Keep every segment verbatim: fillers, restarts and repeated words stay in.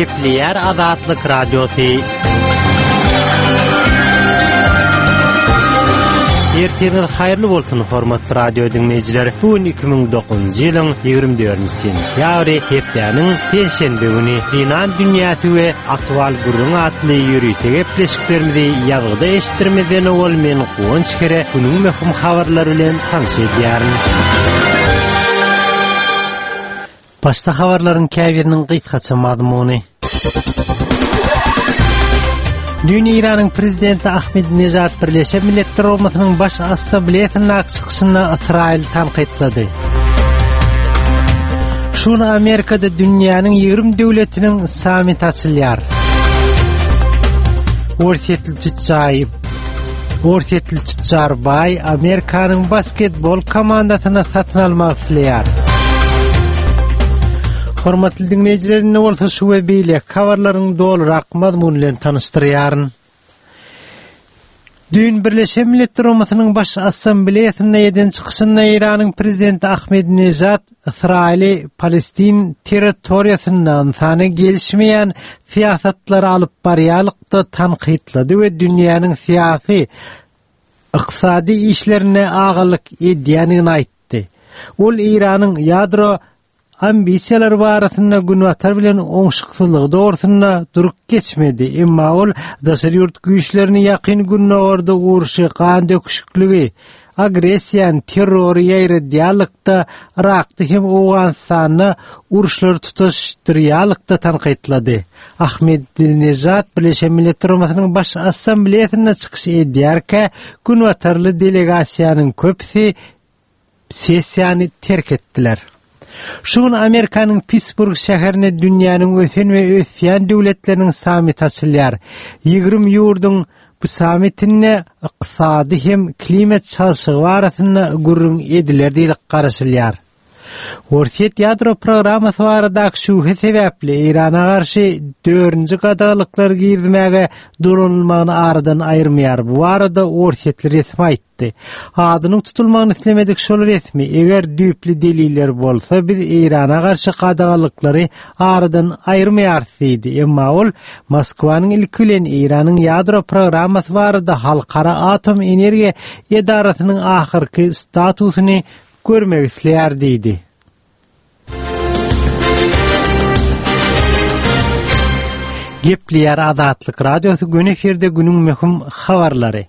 Gepleýär Azatlyk Radiosy. Ertiriňiz haýyrly bolsun, hormatly radio diňleýjiler. Bu gün iki müň dokuzynjy ýylyň ýigrimi dördünji sentýabry, hepdäniň penşenbe güni. Zenan dünýäsi we aktual gürrüň atly ýörite gepleşiklerimizi ýazgyda eşitdirmezden owal men Guwanç Kere günüň möhüm habarlary bilen tanyş edýärin. Başda habarlaryň käbiriniň gysgaça mazmuny. Düýn Eýranyň prezidenti Ahmedinejad Birleşen Milletler Guramasynyň Baş Assambleýasyndaky çykyşynda Ysraýyly tankytlady. Şu gün Amerikada dünýäniň ýigrimi döwletiniň sammiti açylýar. Orsýetli tütjaý Orsýetli tütjar baý Amerikanyň basketbol komandasyny satyn almak isleýär. Hormatly diňleýjiler, indi bolsa şu we beýleki habarlaryň dolurak mazmuny bilen tanyşdyrýaryn. Düýn Birleşen Milletler Guramasynyň Baş Assambleýasynda eden çykyşynda Eýranyň prezidenti Ahmedinejad Ysraýyly Palestin territoriýasynda ynsana gelişmeýän syýasatlary alyp barýarlykda tankytlady we dünýäniň syýasy, ykdysady işlerine agalyk edýändigini aýtdy. Ol Eýranyň ýadro ambisiýalary barasynda Günbatar bilen oňşuksyzlygy dogrusynda durup geçmedi, emma ol daşary ýurt güýçlerini Ýakyn Gündogarda urşy, gan döküşikligi, agressiýany, terrory ýaýradýarlykda, Yrakda hem Owganystanda uruşlary tutaşdyrýarlykda tankytlady. Ahmedinejad Birleşen Milletler Guramasynyň Baş Assambleýasynda çykyş edýärkä, günbatarly delegasiýanyň köpüsi sessiýany terk etdiler. Şu gün Amerikanyň Pittsburg şäherinde dünýäniň ösen we ösýän döwletleriniň sammiti açylýar. Ýigrimi ýurduň bu sammitinde ykdysady hem klimat çalşygy barasynda gürrüň ediler diýlip garaşylýar. Orsýet ýadro programmasy baradaky şübhe sebäpli Eýrana garşy dördünji gadaganlyklary girizmäge dolanylmagyny aradan aýyrmaýar. Bu barada orsýetli resmi aýtdy. Adynyň tutulmagyny islemedik şol resmi, eger düýpli deliller bolsa, biz Eýrana garşy gadaganlyklary aradan aýyrmaýarys diýdi. Emma ol Moskwanyň ilki bilen Eýranyň ýadro programmasy barada Halkara atom energiýa edarasynyň ahyrky statusyny görmek isleýär diýdi. Gepleýär Azatlyk Radiosy göni efirde günüň möhüm habarlary.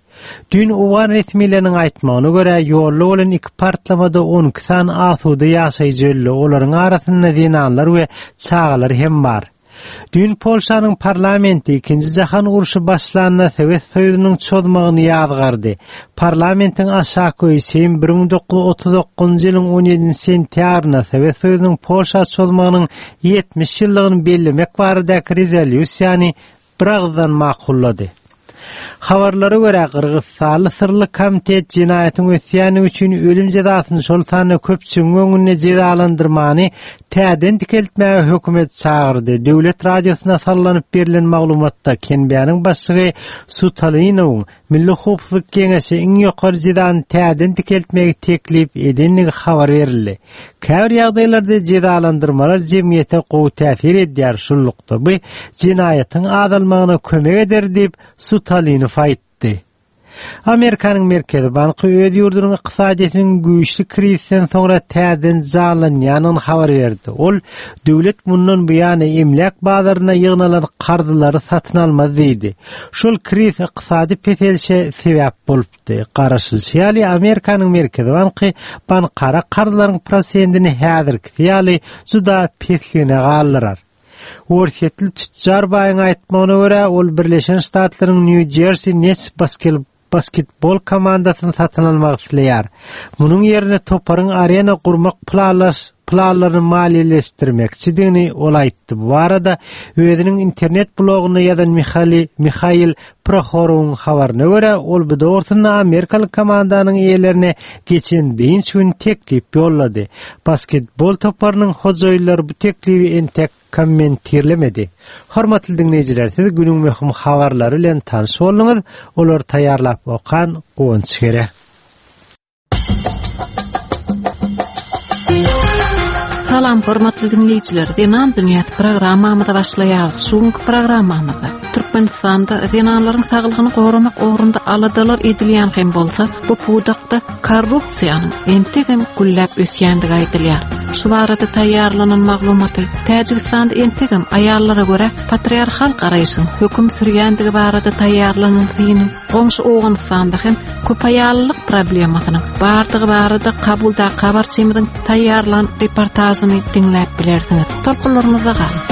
Düýn owgan resmileriniň aýtmagyna görä, ýolda bolan iki partlamada on iki sany asuda ýaşaýjy öldi, olaryň arasynda zenanlar we çagalar hem bar. Düýn Polşanyň parlamenti ikinji jahan urşy başlanda Sowet Soýuzynyň çozmagyny ýazgardy. Parlamentiň aşaky öýi Seým bir müň dokuz ýüz otuz dokuzynjy ýylyň on ýedinji sentýabrynda Sowet Soýuzynyň Polşa çozmagynyň ýetmiş ýyllygyny bellemek baradaky rezolýusiýany bir agyzdan makullady. Habarlara görä, Gyrgyzystanly syrly komitet jenaýatyň ösýändigi üçin ölüm jezasyny şol sanda köpçüligiň öňünde jezalandyrmany täzeden dikeltmäge hökümet çagyrdy. Döwlet radiosyna sallanyp berlen maglumatda Kenbäniň başlygy Sutalinowyň Milli howpsuzlyk geňeşi iň ýokary jezany täzeden dikeltmegi teklip edendigi habar berildi. Käbir ýagdaýlarda jezalandyrmalar jemgyýete gowy täsir edýär, şunlukda bu jenaýatyň azalmagyna kömek eder diýip Sutalinow aýtdy. Amerikanyň Merkezi banky öz ýurdunyň ykdysadyýetiniň güýçli krizisden soňra täzeden janlanýandygyny habar berdi. Ol döwlet mundan bu ýana emläk bazaryna ýygnalan karzlary satyn almaz diýdi. Şol kriz ykdysady peselişe sebäp bolupdy. Garaşylyşy ýaly Amerikanyň Merkezi banky bankara karzlaryň prosentini häzirkisi ýaly juda pesligine galdyrar. Orsýetli tütjar baýyň aýtmagyna görä, ol Birleşen Ştatlaryň New Jersey Nets baskel-, basketbol komandasyny satyn almak isleýär. Munuň ýerine toparyň arena gurmak planlaş-, planlaryny maliýeleşdirmekçidigini ol aýtdy. Bu barada özüniň internet blogunda ýazan Mihali-, Mihail Prohorowyň habaryna görä, ol bu dogrusynda Amerikaly komandanyň eýelerine geçen dynç gün teklip ýollady. Basketbol toparynyň hojaýynlary bu teklibi entek kommentirlemedi. Hormatly diňleýjiler, siz günüň möhüm habarlary bilen tanyş bolduňyz. Olary taýýarlap okan Guwanç Gere. Salam hormatly dinleýjiler, Zenan dünýäsi programmamyza başlaýarys. Şu günki programmamyzda Türkmenistanda zenanlaryň saglygyny goramak ugrunda aladalar edilýän hem bolsa, bu pudakda korrupsiýanyň entegem gülläp ösýändigi aýdylýar. Şu barada taýýarlanan maglumaty Täjigistanda entegem aýallara görä patriarhal garaýşyň höküm sürýändigi barada taýýarlanan syny, goňşy Owganystanda hem köp aýallyk problemasynyň bardygy barada Kabulda habarçymyzyň taýýarlan reportažyny diňläp bilersiňiz. Tolkunlarymyzda galyň.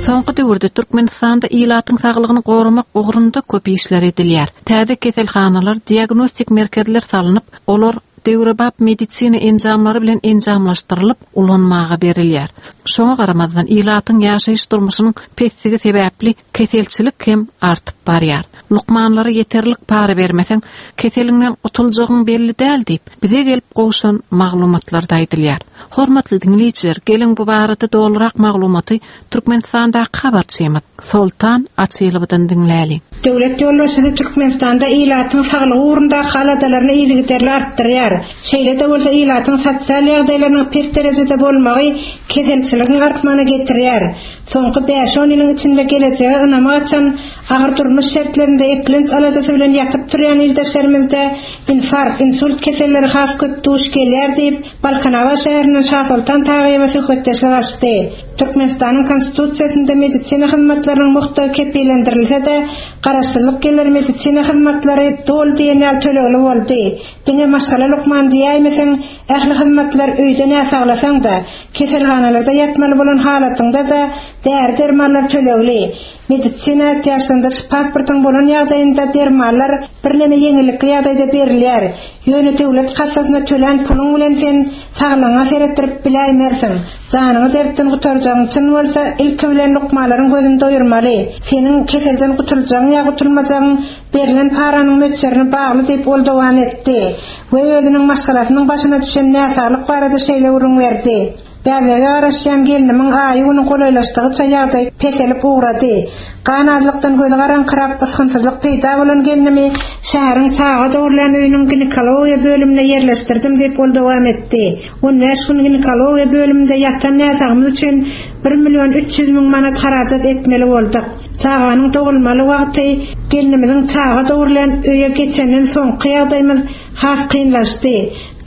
Soňky döwürde Türkmenistanda ilatyň saglygyny goramak ugrunda köp işler edilýär. Täze keselhanalar, diagnostik merkezler salnyp, olar döwrebap medisina enjamlary bilen enjamlaşdyrylyp ulanmaga berilýär. Şoňa garamazdan ilatyň ýaşaýyş durmuşynyň pesligi sebäpli keselçilik hem artyp barýar. Lukmanlara ýeterlik para bermeseň, keseliňden gutuljagyň belli däl diýip, bize gelip gowşan maglumatlar da aýdylýar. Hormatly dinleýjiler, geliň bu barada dolurak maglumaty Türkmenistandaky habarçymyz Soltan Açylowadan diňläliň. Döwlet ýolbaşçysy Türkmenistanda ilatyň saglygy ugrunda aladalaryny yzygiderli artdyrýar. Şeýle-de bolsa ilatyň sosial ýagdaýlarynyň pes derejede bolmagy keselçiligiň artmagyna getirýär. Soňky bäş-on ýylyň içinde gelejege ynamy gaçan agyr durmuş şertlerinde eklenç aladasy bilen ýatyp turýan ildeşlerimizde infarkt, insult keselleri has köp duş gelýär diýip, Balkanabat şäherinden Şasoltan Tagyýewa söhbetdeşlik açdy. Türkmenistanyň konstitusiýasynda medisina hyzmatlarynyň muhtagy kepillendirilse-de, garaşsyzlyk ýyllary medisina hyzmatlary doly diýen ýaly tölegli boldy. Diňe maşgala lukman diýäýmeseň, ähli hyzmatlar öýde näsaglasaň da, keselhanalarda ýatmaly bolan halatynda-da däri dermanlar tölegli. Medisina ätiýaçlandyryş pasportyň bolan ýagdaýynda dermanlar birneme ýeňillikli ýagdaýda berilýär. Ýöne döwlet kassasyna tölän puluň bilen sen saglygyňa seretdirip biläýmersiň. Janyňy dertden gutarjagyň çyn bolsa, ilki bilen lukmanlaryň gözüni doýurmaly. Seniň keselden gutuljagyň ýa gutulmajagyň berlen paranyň möçberine bagly diýip ol dowam etdi we özüniň maşgalasynyň başyna düşen näsaglyk barada şeýle gürrüň berdi. Bäbege garaşýan gelnimiň aýy güni golaýlaşdygyça ýagdaý peselip ugrady. Gan azlykdan gözi garaňkyrap ysgynsyzlyk peýda bolan gelnimi şäheriň çaga dogrulan öýüniň ginekologiýa bölümine ýerleşdirdim diýip ol dowam etdi. On bäş gün ginekologiýa bölüminde ýatan näsagymyz üçin bir million üç ýüz müň manat harajat etmeli bolduk. Çaganyň dogulmaly wagty gelnimiziň çaga dogrulan öýe geçenden soňky ýagdaýymyz has kynlaşdy.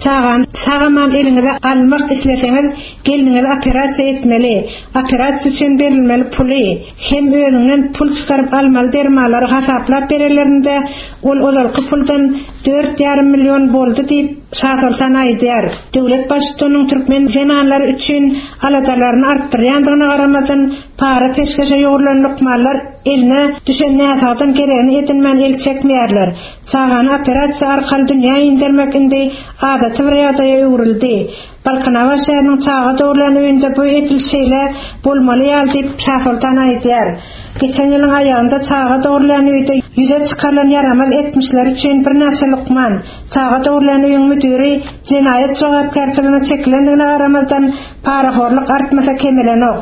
Çagany sagaman eliňize almak isleseňiz, gelniňizi operasiýa etmeli. Operasiýa üçin berilmeli puly, hem özüňden pul çykaryp almaly dermanlary hasaplap bererlerinde ol ozalky puldan dört ýarym million boldy diýip Şasoltan aýdýar. Döwlet baştutanynyň türkmen zenanlary üçin aladalaryny artdyrýandygyna garamazdan para peşgeşe ýugrulan lukmanlar eline düşen näsagdan geregini edinmän el çekmeýärler. Çagany operasiýa arkaly dünýä indirmek indi adaty bir ýagdaýa öwrüldi. Balkanabat şäheriniň çaga dogrulan öýünde bu edil şeýle bolmaly ýaly diýip Şasoltan aýdýar. Geçen ýylyň aýagynda çaga dogrulan öýde ýüze çykarylan ýaramaz etmişler üçin birnäçe lukman, çaga dogrulan öýüň müdiri jenaýat jogapkärçiligine çekilendigine garamazdan parahorluk artmasa kemelenok.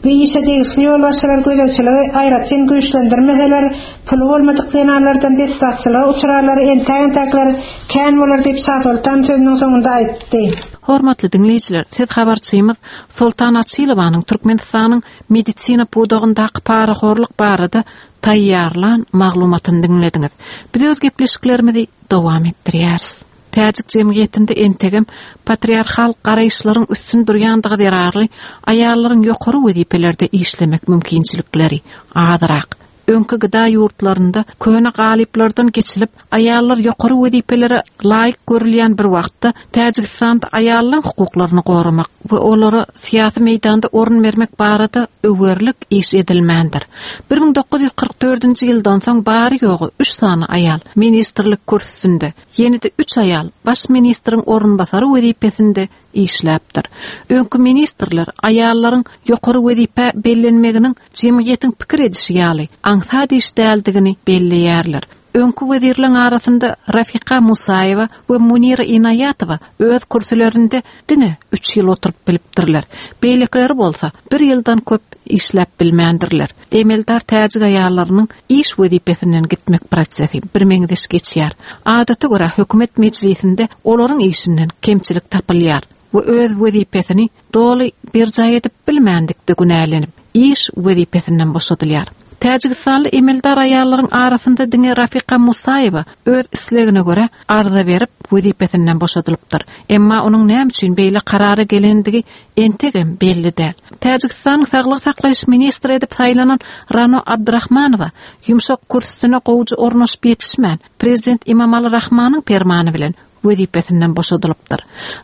Bu işe degişli ýolbaşçylar gözegçiligi aýratyn güýçlendirmeseler, puly bolmadyk zenanlardan betbagtçylyga uçrarlary entäk-entäkler kän bolar diýip Şasoltan sözüniň soňunda aýtdy. Hormatly dinleýjiler, siz habarçymyz Soltan Açylowanyň Türkmenistanyň medisina pudagyndaky parahorluk barada taýýarlan maglumatyny diňlediňiz. Biz öz gepleşiklerimizi dowam etdirýäris. Täjik jemgyýetinde entegem patriarhal garaýyşlaryň üstün durýandygy zerarly aýallaryň ýokary wezipelerde işlemek mümkinçilikleri azrak. Öňki gıda ýurtlarynda köne galyplardan geçilip aýallar ýokary wezipelere laýyk görülýän bir wagtda Täjigistanda aýallaryň hukuklaryny goramak we olara syýasy meýdanda orun bermek barada öwerlik iş edilmändir. bir müň dokuz ýüz kyrk dördünji ýyldan soň bary ýogy üç sany aýal ministrlik kürsüsinde, ýene-de üç aýal baş ministriň orunbasary wezipesinde işläpdir. Öňki ministrler aýallaryň ýokary wezipe bellenmeginiň jemgyýetiň pikir edişi ýaly aňsat iş däldigini belleýärler. Öňki wezirleriň arasynda Rafika Musaýewa we Munira Inaýatowa öz kürsülerinde diňe üç ýyl oturyp bilipdirler. Beýlekileri bolsa bir ýyldan köp işläp bilmändirler. Emeldar täjik aýallarynyň iş wezipesinden gitmek prosesi bir meňzeş geçýär. Adata görä hökümet mejlisinde olaryň işinden kemçilik tapylýar we öz wezipesini doly berjaý edip bilmändikde günälenip iş wezipesinden boşadylýar. Täjigistanly emeldar aýallaryň arasynda diňe Rafika Musaýewa öz islegine görä arza berip wezipesinden boşadylypdyr. Emma onuň näme üçin beýle karara gelendigi entegem belli däl. Täjigistanyň saglyk saklaýyş ministri edip saýlanan Rano Abdurrahmanowa ýumşak kürsüsine gowujy ornaşyp ýetişmän, prezident Imamali Rahmanyň permany bilen wezipesinden boşadylypdyr.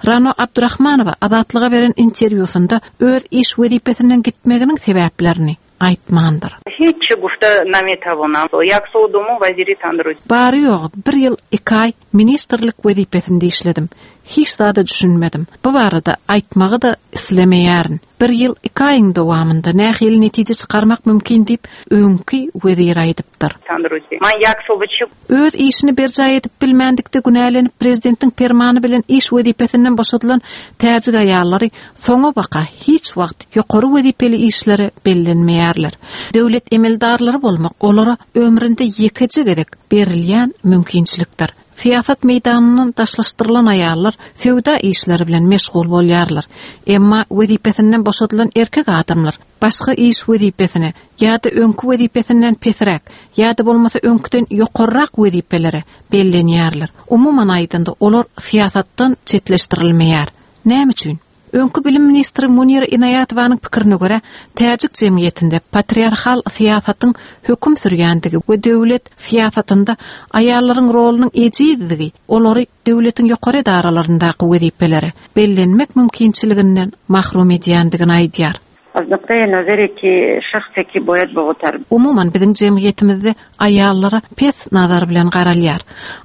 Rano Abdurrahmanowa Azatlyga beren interwýusynda öz iş wezipesinden gitmeginiň sebäplerini aýtmandyr. Hiç gufta nametawona. Ýak sodumu waziri tandru. Bary ýogy bir ýyl iki aý ministrlik wezipesinde işledim. Hiç zada düşünmedim. Bu barada aýtmagy da islemeýärin. Bir ýyl iki aýyň dowamynda nähili netije çykarmak mümkin diýip öňki wezir aýdypdyr. Tandruzi. Man ýak sobuçy Öz işini berjaý edip bilmändikde günälenip prezidentiň permany bilen iş wezipesinden boşadylan täjik aýallary soňa baka hiç wagt ýokary wezipeli işlere bellenmeýärler. Döwlet emeldarlary bolmak olara ömründe ýekeje gezek berilýän mümkinçilikdir. Syýasat meýdanyndan daşlaşdyrylan aýallar söwda işleri bilen meşgul bolýarlar. Emma wezipesinden boşadylan erkek adamlar başga iş wezipesine ýa-da öňki wezipesinden pesräk ýa-da bolmasa öňküden ýokarrak wezipelere bellenýärler. Umuman aýdanda olar syýasatdan çetleşdirilmeýär. Näme üçin? Öňki bilim ministri Munira Inaýatowanyň pikirine görä, täjik jemgyýetinde patriarxal syýasatyň höküm sürýändigi we döwlet syýasatynda aýallaryň rolunyň ejizdigi olary döwletiň ýokary edaralaryndaky wezipelere bellenmek mümkinçiliginden mahrum edýändigini aýdýar. از نقطه نظری که شخصی که باید با تر Umuman biziň jemgyýetimizde aýallara pes nazar bilen garalýar.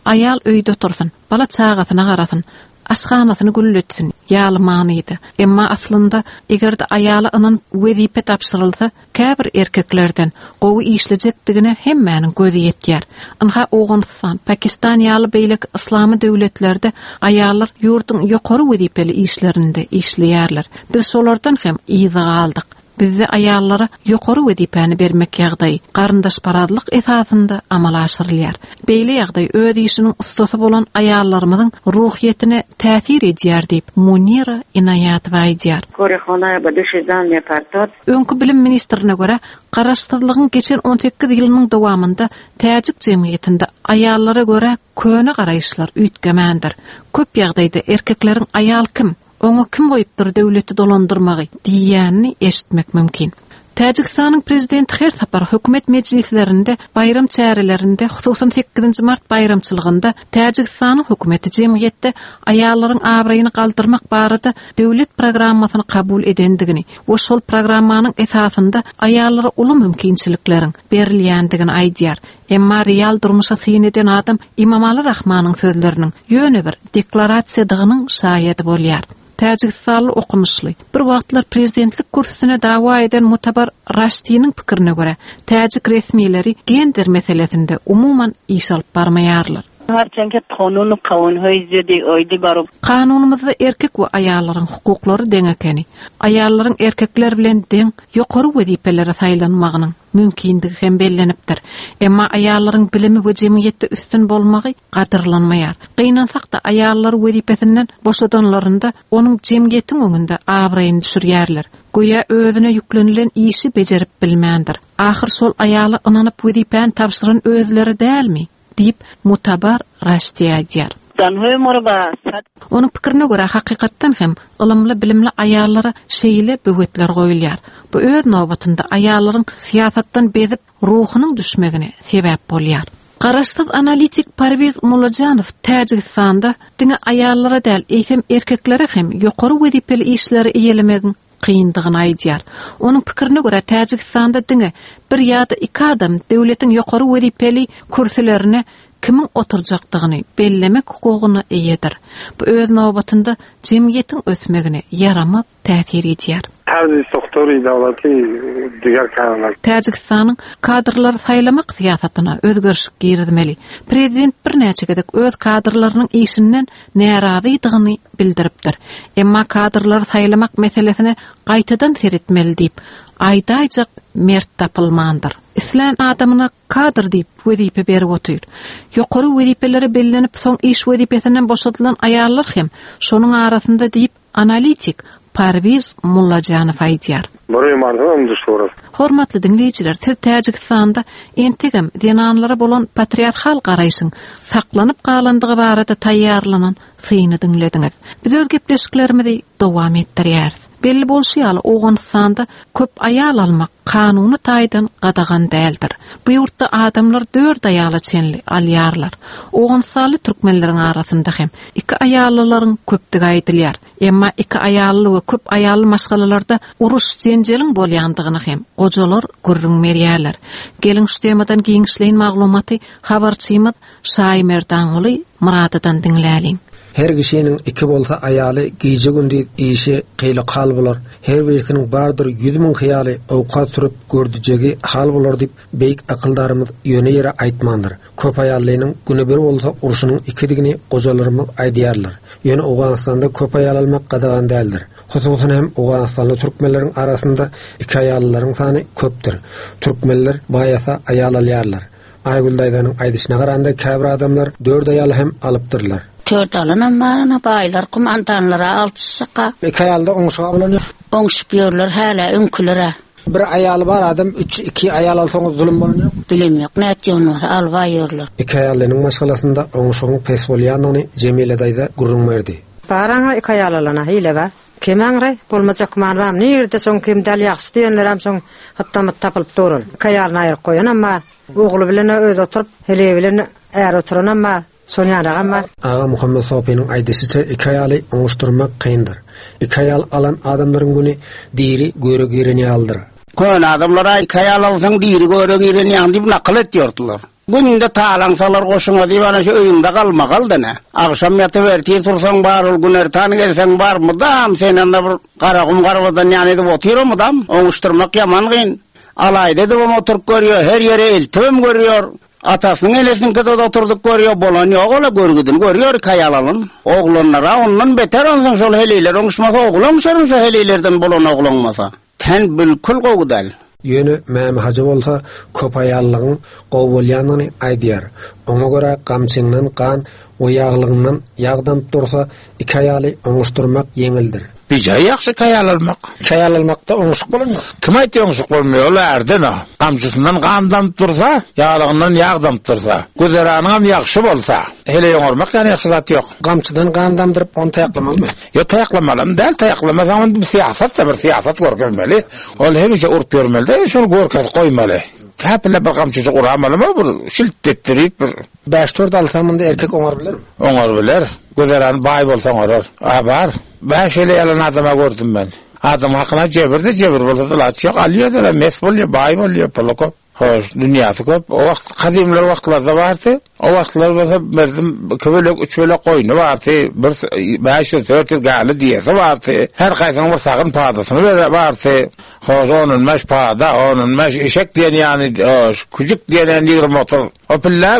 Aýal öýde otursun, bala çagasyna garasyn, aşhanasyny gülletsin, ýaly manydy. Emma aslynda eger-de aýala ynan wezipe tapşyrylsa, käbir erkeklerden gowy işlejekdigine hemmäniň gözi ýetýär. Ynha Owganystan, Pakistan ýaly beýleki yslamy döwletlerde aýallar ýurduň ýokary wezipeli işlerinde işleýärler. Biz şolardan hem yza galdyk. Bizde aýallara ýokary wezipäni bermek ýagdaýy garyndaşparazlyk esasynda amala aşyrylýar. Beýle ýagdaý öz işiniň ustasy bolan aýallarymyzyň ruhiýetine täsir edýär diýip Munira Inaýatowa aýdýar. کار خانه به دوش زن میپرتاد Öňki bilim ministrine görä, garaşsyzlygyň geçen on sekiz ýylynyň dowamynda täjik jemgyýetinde aýallara görä köne garaýyşlar üýtgemändir. Köp ýagdaýda erkekleriň aýal kim, oňa kim goýupdyr döwleti dolandyrmagy diýýänini eşitmek mümkin. Täjigistanyň prezidenti her sapar hökümet mejlislerinde, baýram çärelerinde, hususan sekizinji mart baýramçylygynda Täjigistanyň hökümeti jemgyýetde aýallaryň abraýyny galdyrmak barada döwlet programmasyny kabul edendigini we şol programmanyň esasynda aýallara uly mümkinçilikleriň berilýändigini aýdýar. Emma real durmuşa syn eden adam Imamali Rahmanyň sözleriniň ýöne bir deklarasiýadygynyň şaýady bolýar. Täjigistanly okumuşly bir wagtlar prezidentlik kürsüsine dawa eden Mutabar Raştiniň pikirine görä, täjik resmileri gender meselesinde umuman iş alyp barmaýarlar. هرچند که قانون و قوانهای زیادی آیدی برای Kanunymyzda erkek we aýallaryň hukuklary deň ekeni. Aýallaryň erkekler bilen deň ýokary wezipelere saýlanmagynyň mümkindigi hem bellenipdir. Emma aýallaryň bilimi we jemgyýetde üstün bolmagy gadyrlanmaýar. Gynansak-da aýallar wezipesinden boşadanlarynda onuň jemgyýetiň öňünde abraýyny düşürýärler. Göýä özüne ýüklenilen işi bejerip bilmändir. Ahyr şol aýaly ynanyp wezipäni tabşyran özleri dälmi? Diýip Mutabar Raşti aýdýar. زنهای ما رو به صد Onuň pikirine görä hakykatdan hem ylymly bilimli aýallara şeýle böwetler goýulýar. Bu öz nobatynda aýallaryň syýasatdan bezip ruhunyň düşmegine sebäp bolýar. Garaşsyz analitik Parwiz Mulajanow Täjigistanda diňe aýallara däl, eýsem erkeklere hem ýokary wezipeli işleri eýelemegiň kyndygyny aýdýar. Onuň pikirine görä Täjigistanda diňe bir ýa-da iki adam döwletiň ýokary wezipeli kürsülerine kimiň oturjakdygyny bellemek hukugyna eýedir. Bu öz nobatynda jemgyýetiň ösmegine ýaramaz täsir edýär. Tarzi soktory dawlati diger kanunlar. Täjigistanyň kadrlary saýlamak syýasatyna özgerişik girizmeli. Prezident birnäçe gezek öz kadrlarynyň işinden närazydygyny bildiripdir. Emma kadrlary saýlamak meselesine gaýtadan seretmeli diýip, aýdaýjak mert tapylmandyr. Islän adamyna kadr diýip wezipe berip otyr. Ýokary wezipelere bellenip soň iş wezipesinden boşadylan aýallar hem şonuň arasynda diýip analitik Parwiz Mullajanow aýdýar. Hormatly diňleýjiler, siz Täjigistanda entegem zenanlara bolan patriarxal garaýşyň saklanyp galandygy barada taýýarlanan syny diňlediňiz. Biz öz gepleşiklerimizi dowam etdirýäris. Belli bolşy ýaly Owganystanda köp aýal almak kanuny taýdan gadagan däldir. Bu ýurtda adamlar dört aýala çenli alýarlar. Owganystanly türkmenleriň arasynda hem iki aýallylaryň köpdügi aýdylýar. Emma iki aýally we köp aýally maşgalalarda uruş jenjeliň bolýandygyny hem gojalar gürrüň berýärler. Geliň şu temadan giňişleýin maglumaty habarçymyz Şaýmerdanguly Muradydan diňläliň. Her kişinin iki bolsa aýaly gije gündüz işi kyýly hal bolar. Her birisiniň bardyr ýüz müň hyýaly owkat sürüp gördüjegi hal bolar diýip beýik akyldarymyz ýöne ýere aýtmandyr. Köp aýallynyň güni bir bolsa urşunyň ikidigini gojalarymyz aýdýarlar. Ýöne Owganystanda köp aýal almak gadagan däldir. Hususan hem Owganystanly türkmenleriň arasynda iki aýallylaryň sany köpdür. Türkmenler baýasa aýal alýarlar. Aýgül daýzanyň aýdyşyna garanda käbir adamlar dört aýal hem alypdyrlar. Dört alanam barana baýlar kumandanlara altyşyka. Iki aýalda oňşuga bolan ýok. Oňşup ýörler hala öňkülere. Bir aýaly bar adam üç iki aýal alsaňyz zulum bolan ýok. Bilim ýok, nätýän bolsa alba ýörler. Iki aýallynyň maşgalasynda oňşugyň pes bolýandygyny Jemile daýza gürrüň berdi. Baraňa iki aýal alana hile bar. Kemäňre bolmajak manam nirde soň kim däl ýagşy diýenler hem soň hatda tapylyp durul. Iki aýalyny aýryp goýan amma ogly bilen öz oturyp, hele bilen är oturan amma Sonýanagam bar. Aga Muhammed Sopynyň aýdyşyça iki aýaly oňuşdurmak kyndyr. Iki aýal alan adamlaryň güni diri göre giren ýalydyr. Kön adamlara iki aýal alsaň diri göre giren ýaly diýip nakyl etýärdiler. Günde talaň salar goşuňa diýip ana şu öýüňde galmagal dene. Agşam ýatyp ertir tursaň bar, ol gün ertan gelseň bar, mudam sen anda bir garagum garbadan ýany edip otyr mudam. Oňuşdurmak ýaman gyn. Alaýda edip oturyp görýär, her ýere eltibem görýär. Atasynyň elesiniň de oturduk görýär, bolan ýok ola görgüdini görýär kaýalalyn. Oglanlara ondan beter onsoň şol heleýler oňuşmasa, oglan şonuň şo heleýlerden bolan oglanmasa. Ten bilkul gowdal. Ýöne Mämi Hajy bolsa köp aýallygyň gowy bolýandygyny aýdýar. Oňa görä gamçyňdan gan we ýaglygyňdan ýag damyp dursa, iki aýaly oňuşdurmak ýeňildir. Bijaý ýagşy kaýal almak. Kaýal almakda oňuşyk bolanok. Kim aýtdy oňuşyk bolmaýar? Ol ärden o. Gamçysyndan gan damyp dursa, ýaglygyndan ýag damyp dursa, güzeranyň hem ýagşy bolsa, hele ýoňarmak ýany ýagşy zat ýok. Gamçydan gan damdyryp ony taýaklamalymy? Ýok, taýaklamalam däl, taýaklamasaň onda bir syýasat da bir syýasat görkezmeli. Ol hemişe urup ýörmeli de, şol görkezip goýmaly. Täpine bir gamçyjyk uramalymy, bir şilt etdirip bir Bäş dört alsam munda erkek oňar biler. Oňar biler. Güzerany baý bolsa oňarar. A bar. Bäş ele ýalan adama gördüm ben. Adam hakyna jebir de jebir bolsa da laç ýok. Alýar da mes bolýar, baý bolýar, puly köp. Hoş, dünýäsi köp. O wagt kadimler wagtlarda bardy. O wagtlar bolsa berdim iki bölek, üç bölek goýny bardy. Bir bäş ýüz, dört ýüz gäli diýesi bardy. Her gaýsynyň bir sagyn padasyny bere bardy. Hoş, onun beş pada, onun beş eşek diýen ýany, hoş, küçük diýen ýigrimi otuz. O pille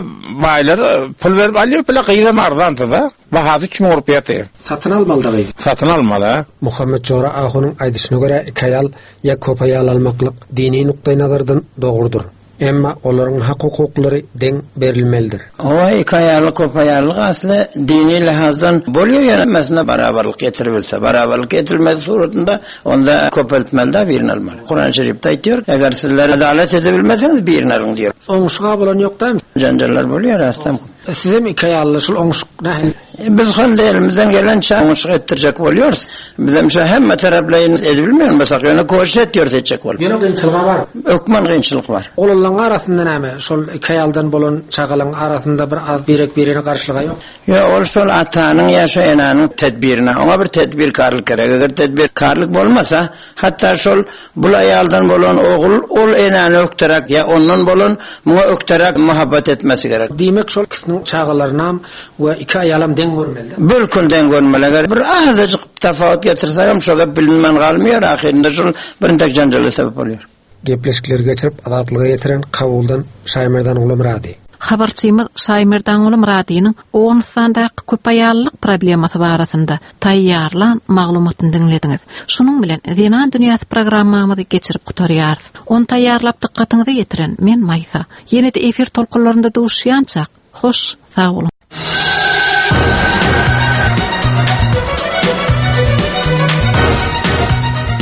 baýlar pul berip alýar, pille gyzam arzanty da. Bahasy üç müň rupiýa ýaty. Satyn almaly da gyz. Satyn almaly, ha? Muhammed Jora Ahunyň aýdyşyna görä iki aýal ýa köp aýal almaklyk dini nukdaý nazardan dogrudyr. Emma olaryň hak hukuklary deň berilmelidir. O iki aýallyk, köp aýallyk asly dini lihazdan bolýar, ýöne mesele barabarlyk getirilse, barabarlyk getirilmez suratynda onda köpeltmeli de birini almaly. Kur'an-ı Şerif'te aýtýar, eger sizler adalet ede bilmeseniz birini alyň diýär. Oňuşyga bolan ýok dämi? Janjallar bolýar aslam. Size mi iki aýally şul oňuşyk nähili? Biz hande elimizden gelen çaňyşyk etdirjek bolýarys. Bizem şu hemme taraplaýyn edilmeýän bolsak, ýöne koşuş etýär etjek bolup. Ýöne kynçylyk bar. Ökman kynçylyk bar. Oglanlaryň arasynda näme? Şol iki aýaldan bolan çagalaryň arasynda bir az birek birine garşylygy ýok. Ýa ol şol atanyň ýa şu enanyň tedbirine, oňa bir tedbir karlyk gerek. Eger tedbir karlyk bolmasa, hatta şol bul aýaldan bolan ogul ol enany ökterek ýa ondan bolan muňa ökterek muhabbat etmesi gerek. Diýmek şol ikisiniň çagalaryna we iki aýalam deň görmeli. Bilkul deň görmeli. Eger bir azajyk tafawut getirse hem şo gep bilinmän galmıyor. Ahyrynda şol birintek janjala sebäp bolýar. Gepleşikleri geçirip Azatlyga ýetiren Kabuldan Şaýmerdan Gulumyrady. Habarçymyz Şaýmerdan Gulumyradynyň Owganystandaky köp aýallyk problemasy barasynda taýýarlan maglumatyny diňlediňiz. Şunuň bilen Zenan dünýäsi programmamyzy geçirip gutarýarys. Ony taýýarlap dykgatyňyza ýetiren men Maýsa. Ýene-de efir tolkunlarynda duşýançak. Hoş, sag boluň.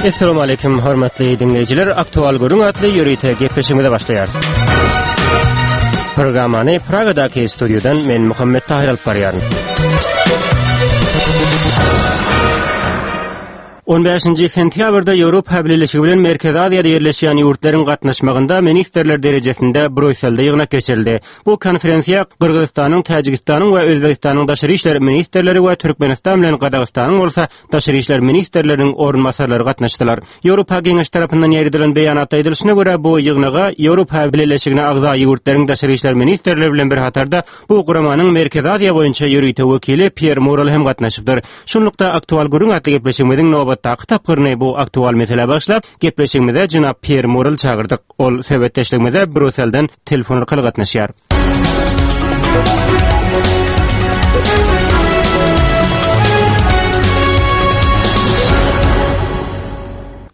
Esselamu aleyküm hormatly dinleýjiler. Aktual görüň atly ýörite gepleşigimize başlaýarys. Programmany Pragadaky studiýadan men Muhammet Tahir alyp barýaryn. on bäşinji sentýabrda Ýewropa Bileleşigi bilen Merkezi Aziýada ýerleşýän ýurtlaryň gatnaşmagynda ministrler derejesinde Brýusselde ýygnak geçirildi. Bu konferensiýa Gyrgyzystanyň, Täjigistanyň we Özbegistanyň daşary işler ministrleri we Türkmenistan bilen Gazagystanyň bolsa daşary işler ministrleriniň orunbasarlary gatnaşdylar. Ýewropa Geňeşi tarapyndan ýaýradylan beýanatda aýdylyşyna görä bu ýygnaga Ýewropa Bileleşigine agza ýurtlaryň daşary işler ministrleri bilen bir hatarda bu guramanyň Merkezi Aziýa boýunça ýörite wekili Pier Murel hem gatnaşypdyr. Şunlukda aktual gürrüň atly gepleşigimiziň nobatdaky tapgyryny bu aktual meselä başlap, gepleşigimize jenap Pier Murel çagyrdyk. Ol söhbetdeşligimize Brýusselden telefon arkaly gatnaşýar.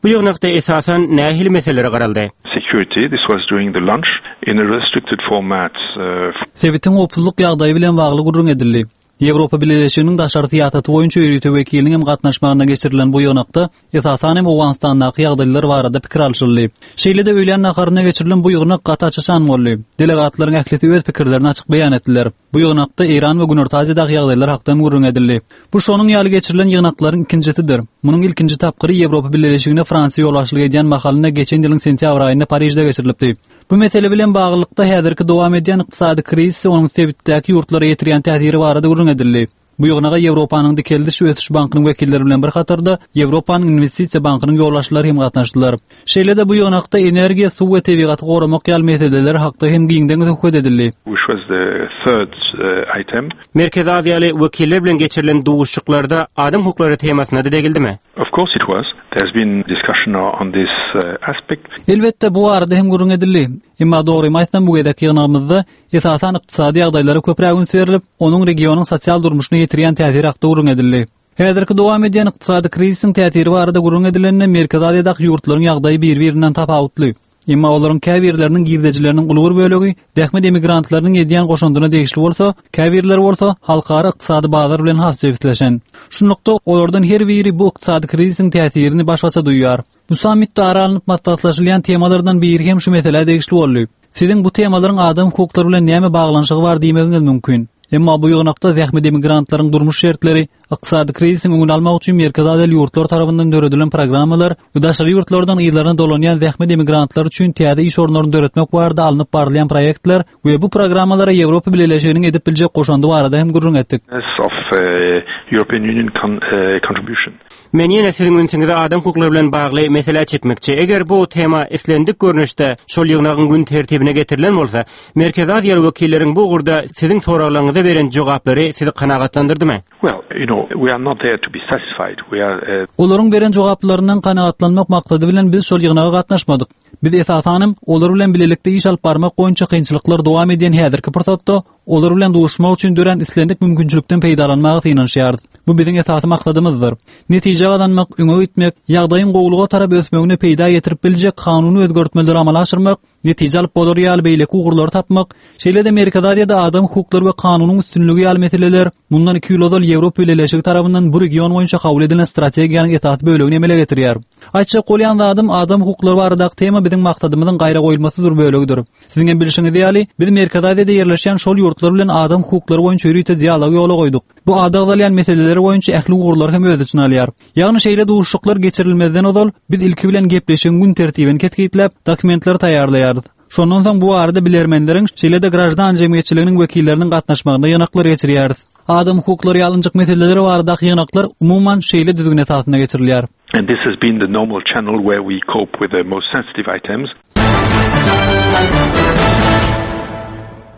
Bu ýygnakda esasan nähili meselelere garaldy? Security, this was during the lunch in a restricted format. Uh, Sebitiň howpsuzlyk ýagdaýy bilen bagly gürrüň edildi. Ýewropa Bileleşiginiň daşary syýasaty boýunça ýörite wekiliniň hem gatnaşmagyna geçirilen bu ýygnakda esasan hem Owganystandaky ýagdaýlar barada pikir alşyldy. Şeýle-de öýlän naharynda geçirilen bu ýygnak gaty açyşan boldy. Delegatlaryň ählisi öz pikirlerini açyk beýan etdiler. Bu ýygnakda Eýran we Günorta Aziýadaky ýagdaýlar hakda gürrüň edildi. Bu şonuň ýaly geçirilen ýygnaklaryň ikinjisidir. Munuň ilkinji tapgyry Ýewropa Bileleşigine Fransiýa ýolbaşçylyk edýän mahalynda geçen ýylyň sentýabr aýynda Parižde geçirilipdi. Bu mesele bilen baglylykda häzirki dowam edýän ykdysady krizis onuň sebitdäki ýurtlara ýetirýän täsiri barada gürrüň edildi. Bu ýygnaga Ýewropanyň Dikeldiş we Ösüş Bankynyň wekilleri bilen bir hatarda Ýewropanyň Investisiýa Bankynyň ýolbaşçylary hem gatnaşdylar. Şeýle-de bu ýygnakda energiýa, suw we tebigaty goramak ýaly meseleler hakda hem giňden söhbet edildi. Which was the third uh, item. Merkezi Aziýaly wekiller bilen geçirilen duşuşyklarda adam hukuklary temasyna da degildimi? Of course it was. There's been discussion on this uh, aspect. Elbetde bu barada hem gürrüň edildi. Emma dogrymy aýtsam bu gezek ýygnagymyzda esasan ykdysady ýagdaýlara köpräk üns berilip, onuň regionyň sosial durmuşyna ýetirýän täsiri hakda gürrüň edildi. Häzirki dowam edýän ykdysady krizisiň täsiri barada gürrüň edilende Merkezi Aziýadaky ýurtlaryň ýagdaýy bir-birinden tapawutly. Emma olaryň käbirleriniň girdejileriniň uly bir bölegi zähmet emigrantlarynyň edýän goşundyna degişli bolsa, käbirleri bolsa halkara ykdysady bazar bilen has jebisleşen. Şunlukda olardan her biri bu ykdysady krizisiň täsirini başgaça duýar. Bu sammitde ara alnyp maslahatlaşylýan temalardan biri hem şu meselä degişli boldy. Siziň bu temalaryň adam hukuklary bilen näme baglanyşygy bar diýmegiňiz mümkin. Emma bu ýygnakda zähmet emigrantlaryň durmuş şertleri, ykdysady krizisiň öňüni almak üçin Merkezi Aziýa ýurtlar tarapyndan döredilen programmalar we daşary ýurtlardan yzlaryna dolanýan zähmet emigrantlary üçin täze iş orunlaryny döretmek barada alnyp barylýan proýektler we bu programmalara Ýewropa Bileleşiginiň edip biljek goşandy barada hem gürrüň etdik. Of uh, European Union con, uh, contribution. Men ýene siziň ünsüňizi adam hukuklary bilen bagly meselä çekmekçi. Eger bu tema islendik görnüşde şol ýygnagyň gün tertibine getirilen bolsa, Merkezi Aziýa wekilleriň bu ugurda siziň soraglaryňyza beren jogaplary sizi kanagatlandyrdymy? Well, you know, we are not there to be satisfied. We are uh, Olaryň beren jogaplaryndan kanagatlanmak maksady bilen biz şol ýygnaga gatnaşmadyk. Biz esasanam olar bilen bilelikde iş alyp barmak boýunça kynçylyklar dowam edýän häzirki pursatda olar bilen duşmak üçin dörän islendik mümkinçilikden peýdalanmaga synanyşýarys. Bu biziň esasy maksadymyzdyr. Netije gazanmak, öňe gitmek, ýagdaýyň gowulyga tarap ösmegine peýda getirip biljek kanuny özgertmeleri amala aşyrmak, netije alyp bolar ýaly beýleki ugurlary tapmak, şeýle-de Merkezi Aziýada adam hukuklary we kanunyň üstünligi ýaly meseleler mundan iki ýyl ozal Ýewropa Bileleşigi tarapyndan bu region boýunça kabul edilen strategiýanyň esasy bölegini emele getirýär. Aýtjak bolýan zadym adam hukuklary baradaky tema biziň maksadymyzyň gaýra goýulmasyz bir bölegidir. Siziň hem bilşiňiz ýaly, biz Merkezi Aziýada ýerleşýän şol ýurtlar bilen adam hukuklary boýunça ýörite dialog ýola goýduk. Bu ady agzalýan meseleler boýunça ähli ugurlary hem öz içine alýar. Ýagny şeýle duşuşyklar geçirilmezden ozal biz ilki bilen gepleşigiň gün tertibini kesgitläp, dokumentleri taýýarlaýarys. Şondan soň bu barada bilermenleriň, şeýle-de grajdan jemgyýetçiliginiň wekilleriniň gatnaşmagynda ýygnaklar geçirýäris. Adam hukuklary ýalynjyk meseleleri baradaky ýygnaklar umuman şeýle düzgün esasynda geçirilýär. And this has been the normal channel where we cope with the most sensitive items.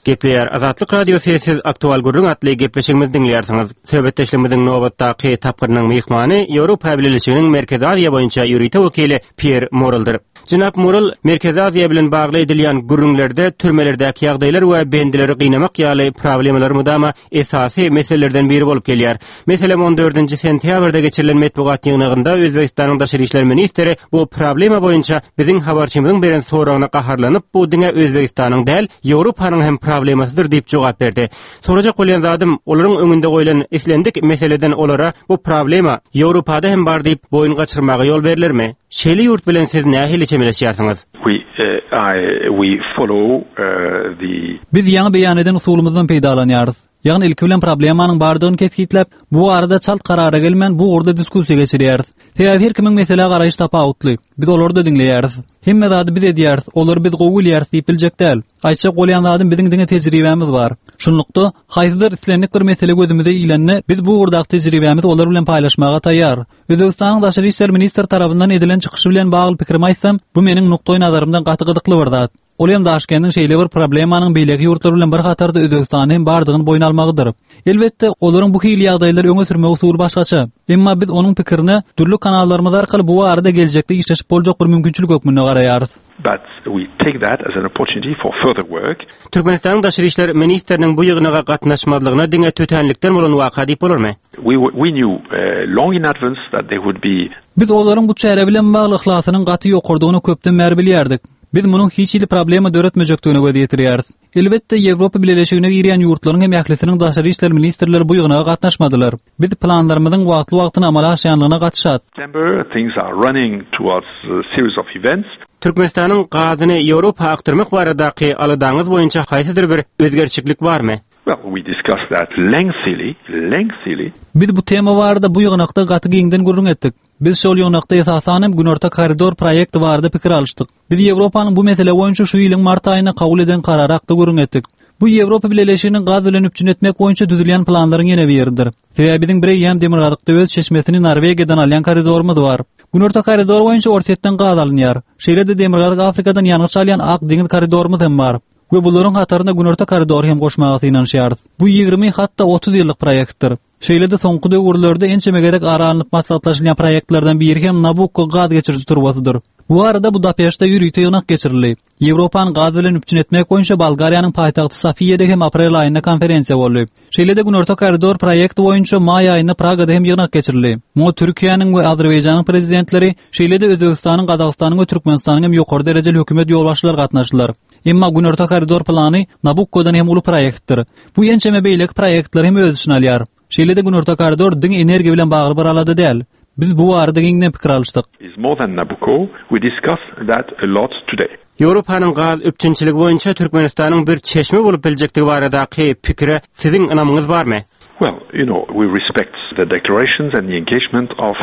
Gepleýär Azatlyk Radiosy siz aktual gürrüň atly gepleşigimizi diňleýärsiňiz. Söhbetdeşligimiziň nobatdaky tapgyrynyň myhmany Ýewropa Bileleşiginiň Merkezi Aziýa boýunça ýörite wekili Pier Moreldir. Jenap Morel, Merkezi Aziýa bilen bagly edilýän gürrüňlerde türmelerdäki ýagdaýlar we bendileri gynamak ýaly problemalar mudama esasy meselelerden biri bolup gelýär. Meselem on dördünji sentýabrda geçirilen metbugat ýygnagynda Özbegistanyň daşary işler ministri bu problema boýunça biziň habarçymyzyň beren soragyna gaharlanyp, bu diňe Özbegistanyň däl, Ýewropanyň hem problemasydyr diýip jogap berdi. Sorajak bolýan zadym, olaryň öňünde goýlan islendik meseleden olara bu problema Ýewropada hem bar diýip boýun gaçyrmaga ýol berilermi? Şeýle ýurt bilen siz nähili çemeleşýärsiňiz? We, uh, I, we follow, uh, the Biz ýaňy beýan eden usulymyzdan peýdalanýarys. Ýagny ilki bilen problemanyň bardygyny kesgitläp, bu arada çalt karara gelmän bu ugurda diskussiýa geçirýäris. Sebäbi her kimiň meselä garaýyş tapawutly. Biz olary da diňleýäris. Hemme zady biz edýäris, olary biz gowy bilýäris diýip biljek däl. Aýtjak bolýan zadym biziň diňe tejribämiz bar. Şunlukda haýsydyr islendik bir mesele gözümize ilende biz bu ugurdaky tejribämizi olar bilen paýlaşmaga taýýar. Özbegistanyň daşary işler ministri tarapyndan edilen çykyşy bilen bagly pikrimi aýtsam, bu meniň nukdaý nazarymdan gaty gyzykly bir zat. Ol hem Daşkendiň şeýle bir problemanyň beýleki ýurtlar bilen bir hatarda Özbegistanyň hem bardygyny boýun almagydyr. Elbetde, olaryň bu hili ýagdaýlary öňe sürmek usuly başgaça. Emma biz onuň pikirine dürli kanallarymyz arkaly bu barada geljekde işleşip boljak bir mümkinçilik hökmünde garaýarys. But we take that as an opportunity for further work. Türkmenistanyň daşary işler ministriniň bu ýygnaga gatnaşmazlygyna diňe tötänlikden bolan waka diýip bolarmy? We, we knew, uh, long in advance that there would be Biz olaryň bu çäre bilen bagly yhlasynyň gaty ýokardygyny köpden bäri bilýärdik. Biz munuň hiç hili problema döretmejekdigine göz ýetirýäris. Elbetde, Ýewropa Bileleşigine girýän ýurtlaryň hem ählisiniň daşary işler ministrleri bu ýygnaga gatnaşmadylar. Biz planlarymyzyň wagtly-wagtyna amala aşýanlygyna gatyşat. September, things are running towards a series of events. Türkmenistanyň gazyny Ýewropa akdyrmak baradaky aladaňyz boýunça haýsydyr bir özgerçiklik barmy? Well, we discussed that lengthily, lengthily. Biz bu tema barada bu ýygnakda gaty giňden gürrüň etdik. Biz şol ýygnakda esasan hem Günorta koridor proýekti barada pikir alyşdyk. Biz Ýewropanyň bu mesele boýunça şu ýylyň mart aýynda kabul eden karary hakda gürrüň etdik. Bu Ýewropa Bileleşiginiň gaz bilen üpjün etmek boýunça düzülýän planlaryň ýene biridir. Sebäbi biziň bir eýýäm demirgazykda öz çeşmesini Norwegiýadan alýan koridorymyz bar. Günorta koridor boýunça Orsýetden gaz alynýar. Şeýle-de Demirgazyk Afrikadan ýangyç alýan Ak deňiz koridorymyz hem bar. We bularyň hataryna Günorta koridory hem goşmaga synanyşýarys. Bu ýigrimi hatda otuz ýyllyk proýektdir. Şeýle-de soňky döwürlerde ençeme gezek ara alnyp maslahatlaşylýan proýektlerden biri hem Nabukko gaz geçiriji turbasydyr. Bu arada Budapeştde ýörite ýygnak geçirildi. Ýewropany gaz bilen üpjün etmek boýunça Bolgariýanyň paýtagty Sofiýada hem aprel aýynda konferensiýa boldy. Şeýle-de Günorta koridor proýekti boýunça maý aýynda Pragada hem ýygnak geçirildi. Muňa Türkiýäniň we Azerbaýjanyň prezidentleri, şeýle-de Özbegistanyň, Gazagystanyň we Türkmenistanyň hem ýokary derejeli hökümet ýolbaşçylary gatnaşdylar. Emma Günorta koridor plany Nabukkodan hem uly proýektdir. Bu ençeme beýleki proýektleri hem öz içine alýar. Şeýle-de Günorta koridor diňe energiýa bilen bagly bir alada däl. Biz bu barada giňden pikir alyşdyk. Is more than Nabucco. We discuss that a lot today. Ýewropanyň gaz üpjünçiligi boýunça Türkmenistanyň bir çeşme bolup biljekdigi baradaky pikire siziň ynamyňyz barmy? Well, you know, we respect the declarations and the engagement of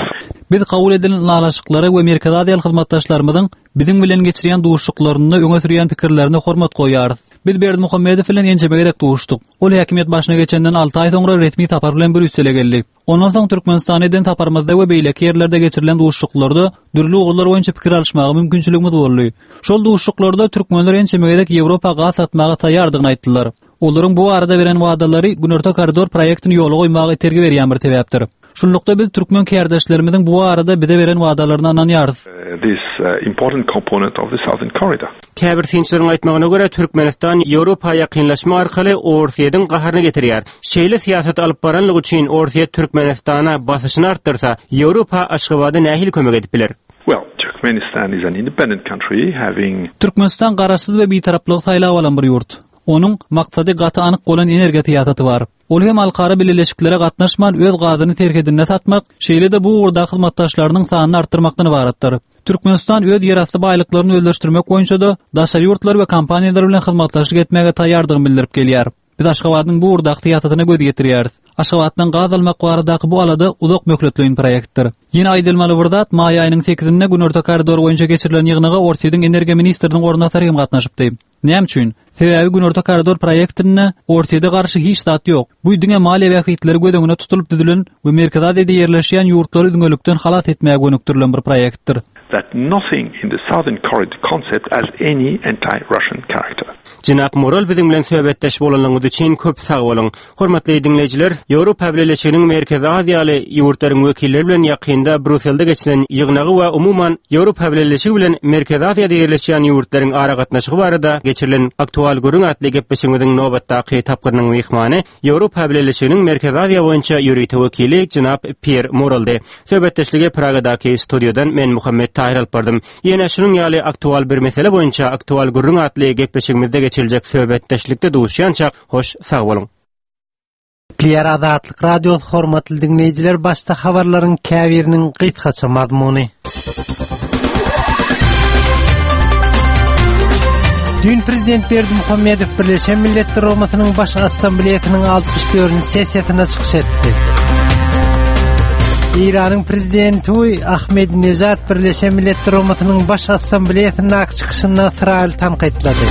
Biz kabul edilen ylalaşyklara we Merkezi Aziýaly hyzmatdaşlarymyzyň biziň bilen geçirýän duşuşyklarynda öňe sürýän pikirlerine hormat goýýarys. Biz Berdimuhamedow bilen ençeme gezek duşuşdyk. Ol häkimiýet başyna geçenden alty aý soňra resmi sapar bilen Brýussele geldi. Ondan soň Türkmenistana eden saparymyzda we beýleki ýerlerde geçirilen duşuşyklarda dürli ugurlar boýunça pikir alyşmaga mümkinçiligimiz boldy. Şol duşuşyklarda türkmenler ençeme gezek Ýewropa gaz satmaga taýýardygyny aýtdylar. Olaryň bu arada beren wadalary Günorta koridor proýektini ýola goýmaga itergi berýän bir sebäpdir. Şunlukda biz türkmen kärdeşlerimiziň bu arada bize beren wadalaryna ynanýarys. This, uh, important component of the Southern Corridor. Käbir synçylaryň aýtmagyna görä Türkmenistan Ýewropa ýakynlaşma arkaly Orsýetiň gaharyny getirýär. Şeýle syýasat alyp baranlygy üçin Orsýet Türkmenistana basyşyny artdyrsa, Ýewropa Aşgabada nähili kömek edip biler? Well, Turkmenistan is an independent country having Türkmenistan garaşsyz we bitaraplygy saýlap alan bir ýurt. Onuň maksady gaty anyk bolan energiýa syýasaty bar. Ol hem halkara bileleşiklere gatnaşman öz gazyny serhedinde satmak, şeýle-de bu ugurda hyzmatdaşlarynyň sanyny artdyrmakdan ybaratdyr. Türkmenistan öz ýerasty baýlyklaryny özleşdirmek boýunça-da daşary ýurtlar we kompaniýalar bilen hyzmatdaşlyk etmäge taýýardygyny bildirip gelýär. Biz Aşgabadyň bu ugurdaky syýasatyna göz ýetirýäris. Aşgabatdan gaz almak baradaky bu alada uzak möhletleýin proýektdir. Ýene aýdylmaly bir zat, maý aýynyň sekizinde Günorta koridor boýunça geçirilen ýygnaga Orsýetiň energiýa ministriniň orunbasary hem gatnaşypdy. Näme üçin? Sebäbi Günorta koridor proýektinde Orsýete garşy hiç zat ýok. Bu diňe maliýe bähbitleri göz öňüne tutulyp düzülen we Merkezi Aziýada ýerleşýän ýurtlary üzňelikden halas etmäge gönükdirilen bir proýektdir. That nothing in the Southern Corridor concept has any anti-Russian character. Jenap Morel biziň bilen söhbetdeş bolanlygyňyz üçin köp sag boluň. Hormatly diňleýjiler, Ýewropa Bileleşiginiň Merkezi Aziýaly ýurtlaryň wekilleri bilen ýakynda Brýusselde geçirilen ýygnagy we umuman Ýewropa Bileleşigi bilen Merkezi Aziýada ýerleşýän ýurtlaryň aragatnaşygy barada geçirilen aktual gürrüň atly gepleşigimiziň nobatdaky tapgyrynyň myhmany Ýewropa Bileleşiginiň Merkezi Aziýa boýunça ýörite wekili Jenap Pier Moreldi. Söhbetdeşligi Pragadaky studiýadan men Muhammet Tahir alyp bardym. Ýene şunuň ýaly aktual bir mesele boýunça aktual gürrüň atly gepleşigimizde geçiriljek söhbetdeşlikde duşýança hoş sag boluň. Gepleýär Azatlyk Radiosy hormatly diňleýjiler, başda habarlaryň käbiriniň gysgaça mazmuny. Düýn Prezident Berdimuhamedow Birleşen Milletler Guramasynyň Baş Assambleýasynyň altmyş dördünji sessiýasynda çykyş etdi. Eýranyň prezidenti Ahmedinejad Birleşen Milletler Guramasynyň Baş Assambleýasyndaky çykyşynda Ysraýyly tankytlady.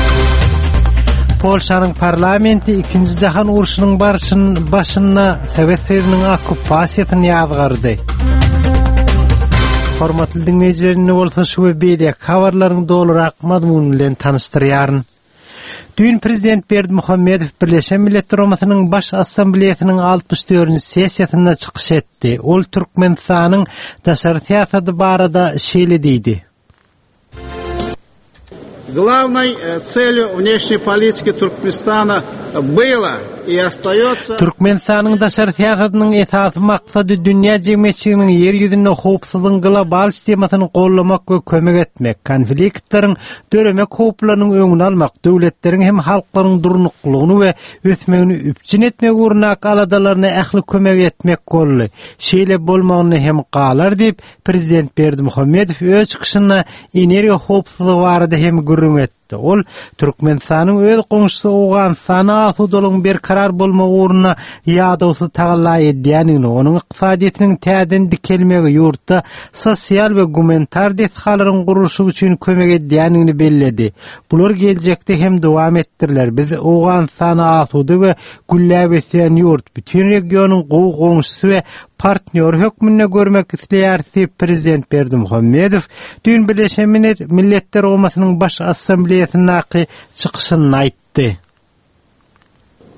Polşanyň parlamenti Ikinji Jahan urşunyň barşyn başynda Sowet Soýuzynyň okkupasiýasyny ýazgardy. Hormatly diňleýjiler, indi bolsa şu we beýleki habarlaryň dolurak mazmuny bilen tanyşdyrýaryn. Düýn Prezident Berdimuhamedow Birleşen Milletler Guramasynyň Baş Assambleýasynyň altmyş dördünji sessiýasynda çykyş etdi. Ol Türkmenistanyň daşary syýasaty barada şeýle diýdi. Главной целью внешней политики Туркменистана было и остается Türkmenistanyň daşary syýasatynyň esasy maksady dünýä jemgyýetçiliginiň ýer ýüzünde howpsuzlygyň global sistemasyny gollamak we kömek etmek, konfliktleriň döremek howplarynyň öňüni almak, döwletleriň hem halklaryň durnuklygyny we ösmegini üpjün etmek ugrundaky aladalaryna ähli kömek etmek boldy. Şeýle bolmagyny hem galar diýip, Prezident Berdimuhamedow öz çykyşynda energiýa howpsuzlygy barada hem gürrüň etdi. Ol Türkmenistanyň öz goňşusy Owganystana asudalygyň berkarar bolmagy ugrunda ýadawsyz tagalla edýändigini, onuň ykdysadyýetiniň täzeden dikelmegi, ýurtda sosial we gumanitar desgalaryň gurluşygy üçin kömek edýändigini belledi. Bular geljekde hem dowam etdiriler. Biz Owganystana asuda we gülläp ösýän ýurt, bütün regionyň gowy goňşusy we partnýory hökmünde görmek isleýär diýip Prezident Berdimuhamedow düýn Birleşen Milletler Guramasynyň Baş Assambleýasyndaky çykyşynda aýtdy.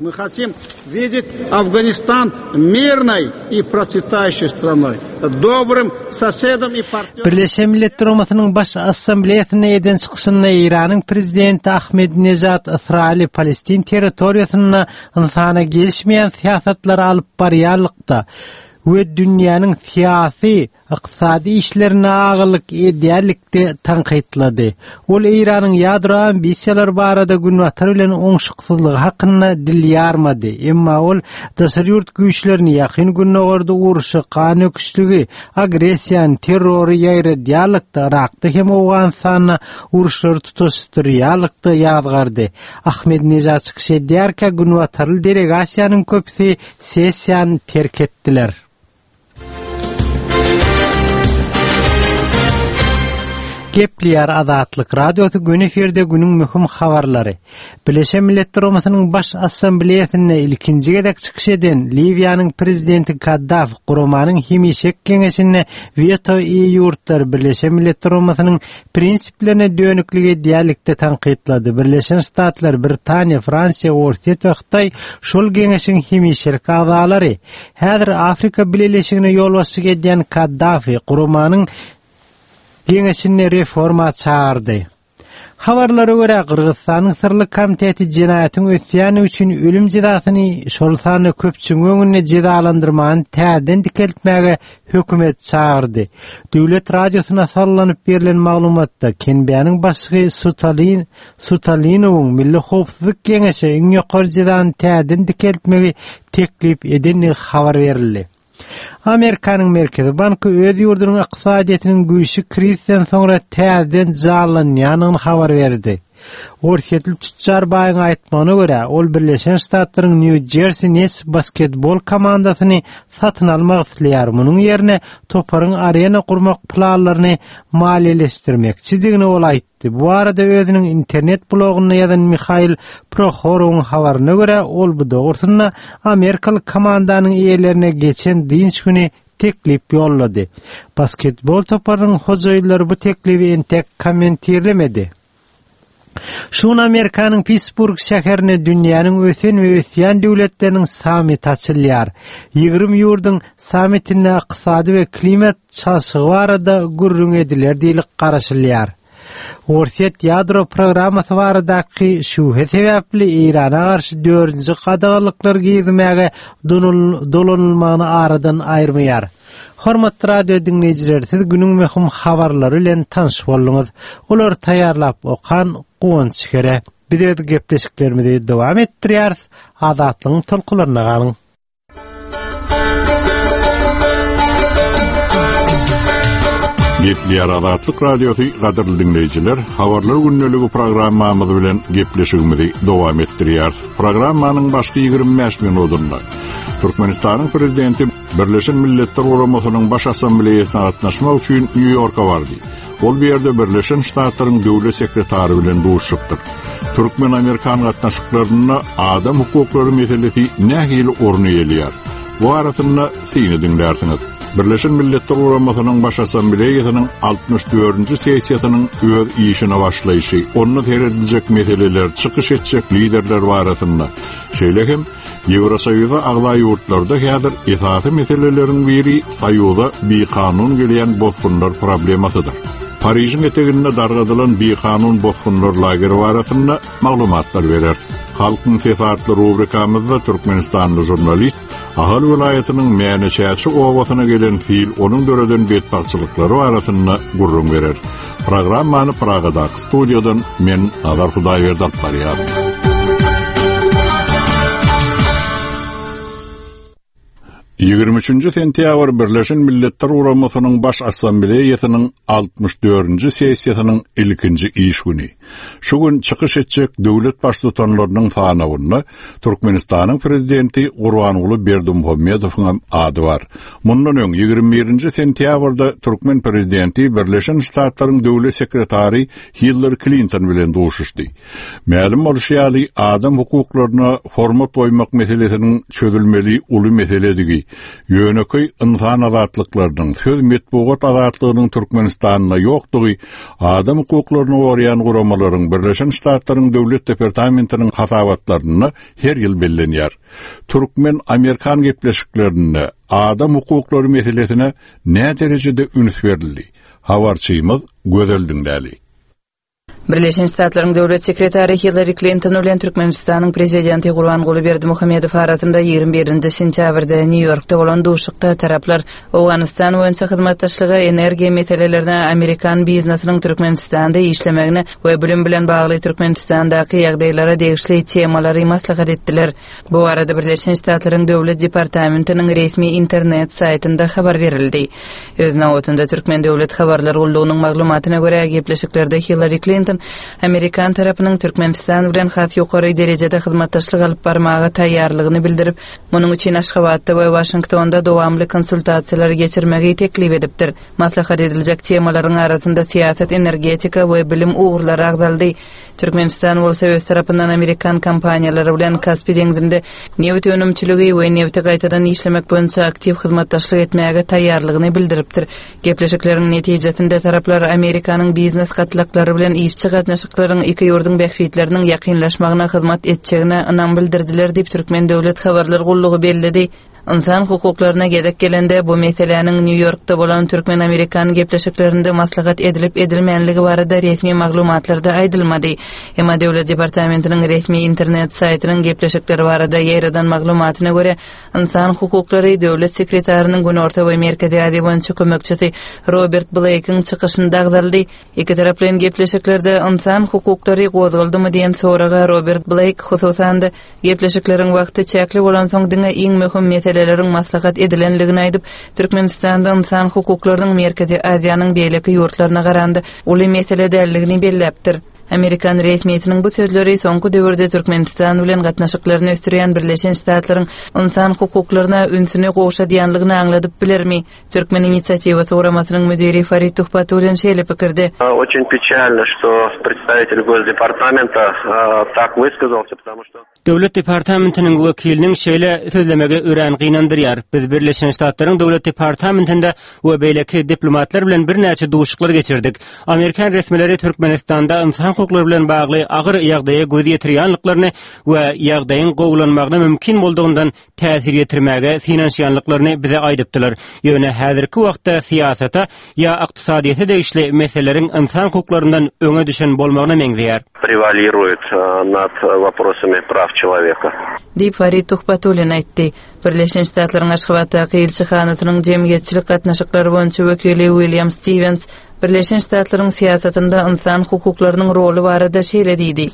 Мы хотим видеть Афганистан мирной и процветающей страной, добрым соседом и партнером. Birleşen Milletler Guramasynyň Baş Assambleýasynda eden çykyşynda Eýranyň prezidenti Ahmedinejad Ysraýyly Palestin territoriýasynda ynsana gelişmeýän syýasatlary alyp barýarlykda we dünýäniň syýasy, ykdysady işlerine agyrlyk edýärlikde tankytlady. Ol Eýranyň ýadro ambisiýalary barada Günbatar bilen oňşuksyzlygy hakynda dil ýarmady. Emma ol daşary ýurt güýçlerini ýakyn Gündogarda urşy, gan öküşligi, agressiýany, terrory ýaýradýarlykda, Irakda hem Owganystanda uruşlary tutaşdyrýarlykda ýazgardy. Ahmedinejad çykyş edýärkä Günbatarly delegasiýanyň köpüsi sessiýany terk etdiler. Gepleýär Azatlyk Radiosy gün efirde günüň möhüm habarlary. Birleşen Milletler Guramasynyň Baş Assambleýasynda ilkinji gezek çykyş eden Liwiýanyň prezidenti Kaddafi guramanyň hemişelik geňeşinde weto eýe ýurtlar Birleşen Milletler Guramasynyň prinsiplerine dönüklik edýärlikde tankytlady. Birleşen Ştatlar, Britaniýa, Fransiýa, Orsýet we Hytaý şol geňeşiň hemişelik agzalary. Häzir Afrika Bileleşigine ýolbaşçylyk edýän Kaddafi guramanyň geňeşinde reforma çağırdy. Habarlara görä Gyrgyzystanyň syrly komiteti jenaýatyň ösýäni üçin ölüm jezasyny şol sanda köpçüligiň öňünde jezalandyrmany täzeden dikeltmäge hökümet çagyrdy. Döwlet radiosyna sallanyp berilen maglumatda K N B-niň başlygy Sutalin Sutalinowyň Milli Howpsuzlyk Geňeşi iň ýokary jezany täzeden dikeltmegi teklip edendigi habar berildi. Amerikanyň Merkezi Banky öz ýurdunyň ykdysadyýetiniň güýçli krizden soňra täzeden janlanýanyny habar berdi. Orsýetli tütjar baýyň aýtmagyna görä, ol Birleşen Ştatlaryň New Jersey Nets basketbol komandasyny satyn almak isleýär. Munuň ýerine toparyň arena gurmak planlaryny maliýeleşdirmekçidigini ol aýtdy. Bu arada özüniň internet blogunda ýazan Mihail Prohorowyň habaryna görä, ol bu dogrusynda Amerikaly komandanyň eýelerine geçen dynç güni teklip ýollady. Basketbol toparynyň hojaýynlary bu teklibi entek kommentirlemedi. Şu gün Amerikanyň Pittsburgh şäherinde dünýäniň ösen we ösýän döwletleriniň sammiti açylýar. Ýigrimi ýurduň sammitinde ykdysady we klimat çalşygy barada gürrüň ediler diýlip garaşylýar. Orsýet ýadro programmasy baradaky şübhe sebäpli Eýrana garşy dördünji gadaganlyklar girizmäge dolanylmagyny aradan aýyrmaýar. Hormatly radio diňleýjiler, siz günüň möhüm habarlary bilen tanyş bolduňyz. Olar taýýarlap okan Guwanç Kere. Biz öz gepleşiklerimizi dowam etdirýäris. Azatlygyň tolkunlaryna galyň. Gepleýär Azatlyk Radiosy gadyrly diňleýjiler, habarlar gündeligi programmamyz bilen gepleşigimizi dowam etdirýäris. Programmanyň başky ýigrimi bäş minutynda Türkmenistanyň prezidenti Birleşen Milletler Guramasynyň Baş Assambleýasyna gatnaşmak üçin Nýu-Ýorka bardy. Ol bu ýerde Birleşen Ştatlaryň döwlet sekretary bilen duşupdyr. Türkmen-Amerikan gatnaşyklarynda adam hukuklary meselesi nähili orun eýeleýär? Bu arasynda syny diňlärsiňiz. Birleşen Milletler Guramasynyň Baş Assambleýasynyň altmyş dördünji sessiýasynyň öz işine başlaýşy, onda serediljek meseleler, çykyş etjek liderler barasynda, şeýle hem Ýewrosoýuza agza ýurtlarda häzir esasy meseleleriň biri Soýuza bikanun gelýän bosgunlar problemasydyr. Parižiň eteginde dargadylan bikanun bosgunlar lageri barasynda maglumatlar berer. Halkyň sesi atly rubrikamyzda Türkmenistanly jurnalist Ahal welaýatynyň Mäne-Çäçe obasyna gelen sil onuň döreden betbagtçylyklary barasynda gürrüň berer. Programmany Pragadaky studiýadan men Nazar Hudaýberdi alyp barýaryn. Ýigrimi üçünji sentýabr Birleşen Milletler Guramasynyň Baş Assambleýasynyň altmyş dördünji sessiýasynyň ilkinji iş güni. Şu gün çykyş etjek döwlet baştutanlarynyň sanawynda Türkmenistanyň prezidenti Gurbanguly Berdimuhamedowyň hem ady bar. Mundan öň ýigrimi birinji sentýabrda Türkmen prezidenti Birleşen Ştatlaryň döwlet sekretary Hillary Clinton bilen duşuşdy. Mälim bolşy ýaly, adam hukuklaryna hormat goýmak meselesiniň çözülmeli uly meseledigi, ýönekeý insan azatlyklarynyň, söz metbugat azatlygynyň Türkmenistanda ýokdugy, adam hukuklaryny goraýan guramalaryň Birleşen Ştatlaryň Döwlet Departamentiniň hasabatlarynda her ýyl bellenýär. Türkmen-Amerikan gepleşiklerinde adam hukuklary meselesine nä derejede üns berildi? Habarçymyz Gözel diňläli. Birleşen Ştatlaryň Döwlet Sekretary Hillary Clinton bilen Türkmenistanyň Prezidenti Gurbanguly Berdimuhamedow arasynda ýigrimi birinji sentýabrda Nýu-Ýorkda bolan duşuşykda taraplar Owganystan boýunça hyzmatdaşlyga, energiýa meselelerine, Amerikan biznesiniň Türkmenistanda işlemegine we bilim bilen bagly Türkmenistandaky ýagdaýlara degişli temalary maslahat etdiler. Bu arada Birleşen Ştatlaryň Döwlet Departamentiniň resmi internet saýtynda habar berildi. Öz nobatynda Türkmen Döwlet Habarlar Gullugynyň maglumatyna görä gepleşiklerde Hillary Clinton Amerikan tarapynyň Türkmenistan bilen has ýokary derejede hyzmatdaşlyk alyp barmaga taýýarlygyny bildirip, munuň üçin Aşgabatda we Waşingtonda dowamly konsultasiýalary geçirmegi teklip edipdir. Maslahat ediljek temalaryň arasynda syýasat, energetika we bilim ugurlary agzaldy. Türkmenistan bolsa öz tarapyndan Amerikan kompaniýalary bilen Kaspi deňzinde nebit önümçiligi we nebiti gaýtadan işlemek boýunça aktiw hyzmatdaşlyk etmäge taýýarlygyny bildiripdir. Gepleşikleriň netijesinde taraplar Amerikanyň biznes gatlaklary bilen işçi gatnaşyklaryň iki ýurduň bähbitleriniň ýakynlaşmagyna hyzmat etjegine ynam bildirdiler diýip Türkmen Döwlet Habarlar Gullugy belledi. Ynsan hukuklaryna gezek gelende bu meseläniň Nýu-Ýorkda bolan türkmen-amerikan gepleşiklerinde maslahat edilip edilmänligi barada resmi maglumatlarda aýdylmady. Emma Döwlet departamentiniň resmi internet saýtynyň gepleşikleri barada ýaýradan maglumatyna görä, ynsan hukuklary döwlet sekretarynyň Günorta we Merkezi Aziýa boýunça kömekçisi Robert Bleýkiň çykyşynda agzaldy. Iki taraplaýyn gepleşiklerde ynsan hukuklary gozgaldymy diýen soraga Robert Bleýk hususan-da gepleşikleriň wagty çäkli bolansoň diňe iň möhüm meseleleriň maslahat edilenligini aýdyp, Türkmenistanda ynsan hukuklarynyň Merkezi Aziýanyň beýleki ýurtlaryna garanda uly mesele däldigini belläpdir. Amerikan resmiýetiniň bu sözleri soňky döwürde Türkmenistan bilen gatnaşyklaryny ösdürýän Birleşen Ştatlaryň ynsan hukuklaryna ünsüni gowşadýanlygyny aňladyp bilermi? Türkmen inisiatiwasy guramasynyň müdiri Farid Tuhbatullin şeýle pikirde. Очень печально, что представитель Госдепартамента так высказался, потому что Döwlet departamentiniň wekiliniň şeýle sözlemegi örän gynandyrýar. Biz Birleşen Ştatlaryň Döwlet departamentinde we beýleki diplomatlar bilen birnäçe duşuşyklar geçirdik. Amerikan resmileri Türkmenistanda ynsan hukuklary bilen bagly agyr ýagdaýa göz ýetirýänliklerini we ýagdaýyň gowulanmagyna mümkin boldugyndan täsir ýetirmäge synanyşýanlyklaryny bize aýdypdylar. Ýöne häzirki wagtda syýasata ýa ykdysadyýete degişli meseleleriň ynsan hukuklaryndan öňe düşen bolmagyna meňzeýär. Превалирует над вопросами прав человека. Diýip Farid Tuhbatullin aýtdy. Birleşen Ştatlaryň Aşgabatdaky ilçihanasynyň jemgyýetçilik gatnaşyklary boýunça wekili William Stevens Birleşen Ştatlaryň syýasatynda ynsan hukuklarynyň roly barada şeýle diýdi.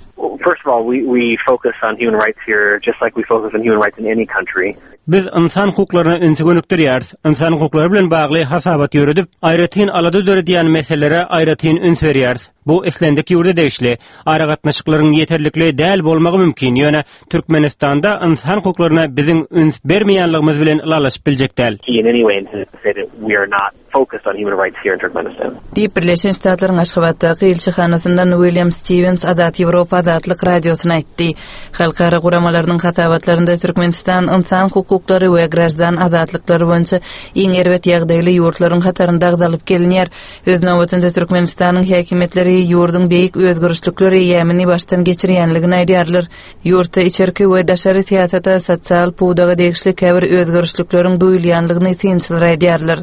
First of all, we, we focus on human rights here just like we focus on human rights in any country. Biz ynsan hukuklaryna ünsi gönükdirýäris. Ynsan hukuklary bilen bagly hasabat ýöredip, aýratyn alada döredýän meselelere aýratyn üns berýäris. Bu islendik ýurda degişli. Aragatnaşyklaryň ýeterlikli däl bolmagy mümkin. Ýöne Türkmenistanda ynsan hukuklaryna biziň üns bermeýänligimiz bilen ylalaşyp biljek däl. In any way to say that we are not focused on human rights here in Turkmenistan. Diýip Birleşen Ştatlaryň Aşgabatdaky ilçihanasyndan William Stevens Azat Ýewropa Azatlyk radiosyna aýtdy. Halkara guramalarynyň hasabatlarynda Türkmenistan ynsan hukuklary we graždan azatlyklary boýunça iň erbet ýagdaýly ýurtlaryň hatarynda agzalyp gelinýär. Öz nobatynda Türkmenistanyň häkimiýetleri ýurduň beýik özgerişlikler eýýamyny başdan geçirýänligini aýdýarlar. Ýurtda içerki we daşary syýasata sosial pudaga degişli käbir özgerişlikleriň duýulýanlygyny synçylar aýdýarlar.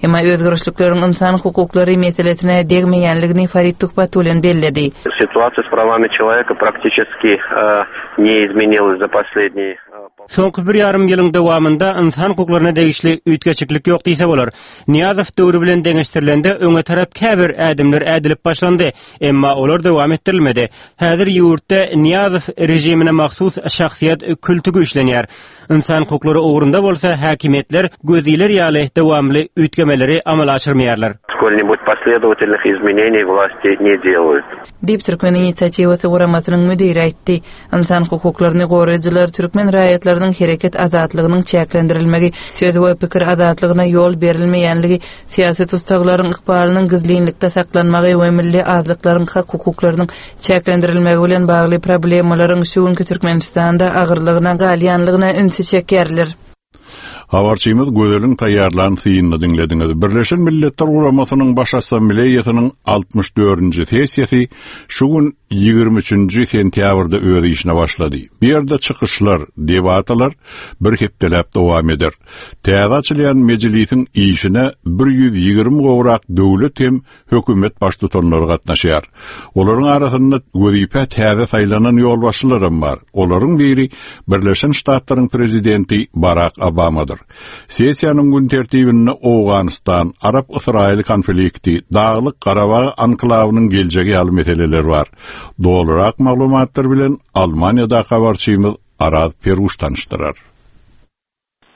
Emma özgerişlikleriň ynsan hukuklary meselesine degmeýänligini Farid Tuhbatullin belledi. Ситуация с правами человека практически э, не изменилась за последние Soňky bir ýarym ýylyň dowamynda ynsan hukuklaryna degişli üýtgeşiklik ýok diýse bolar. Niýazow döwri bilen deňeşdirilende öňe tarap käbir ädimler ädilip başlandy, emma olar dowam etdirilmedi. Häzir ýurtda Niýazow rejimine mahsus şahsyýet külti güýçlenýär. Ynsan hukuklary ugrunda bolsa häkimiýetler gözüler ýaly dowamly üýtgemeleri amala aşyrmaýarlar. Сколь-нибудь последовательных изменений власти не делают. Diýip Türkmen inisiatiwasy guramasynyň müdiri aýtdy. Ynsan hukuklaryny goraýjylar türkmen raýatlarynyň hereket azatlygynyň çäklendirilmegi, söz we pikir azatlygyna ýol berilmeýänligi, syýasy tussaglaryň ykbalynyň gizlinlikde saklanmagy we milli azlyklaryň hak hukuklarynyň çäklendirilmegi bilen bagly problemalaryň şu günki Türkmenistanda agyrlygyna galýanlygyna ünsi çekýärler. Habarçymyz Gözeliň taýýarlan synyny diňlediňiz. Birleşen Milletler Guramasynyň Baş Assambleýasynyň altmyş dördünji sessiýasy şu gün ýigrimi üçünji sentýabrda öz işine başlady. Bu ýerde çykyşlar, debatalar bir hepdeläp dowam eder. Täze açylýan mejlisiň işine bir ýüz ýigrimi gowrak döwlet hem hökümet baştutanlary gatnaşýar. Olaryň arasynda wezipe täze saýlanan ýolbaşçylaram bar. Olaryň biri Birleşen Ştatlaryň prezidenti Barack Obamadyr. Sessiýanyň gün tertibinde Owganystan, Arap-Ysraýyl konflikti, Daglyk Garabag anklawynyň geljegi ýaly meseleler bar. Dolurak maglumatlar bilen Almaniýada habarçymyz Araz Peruş tanyşdyrar.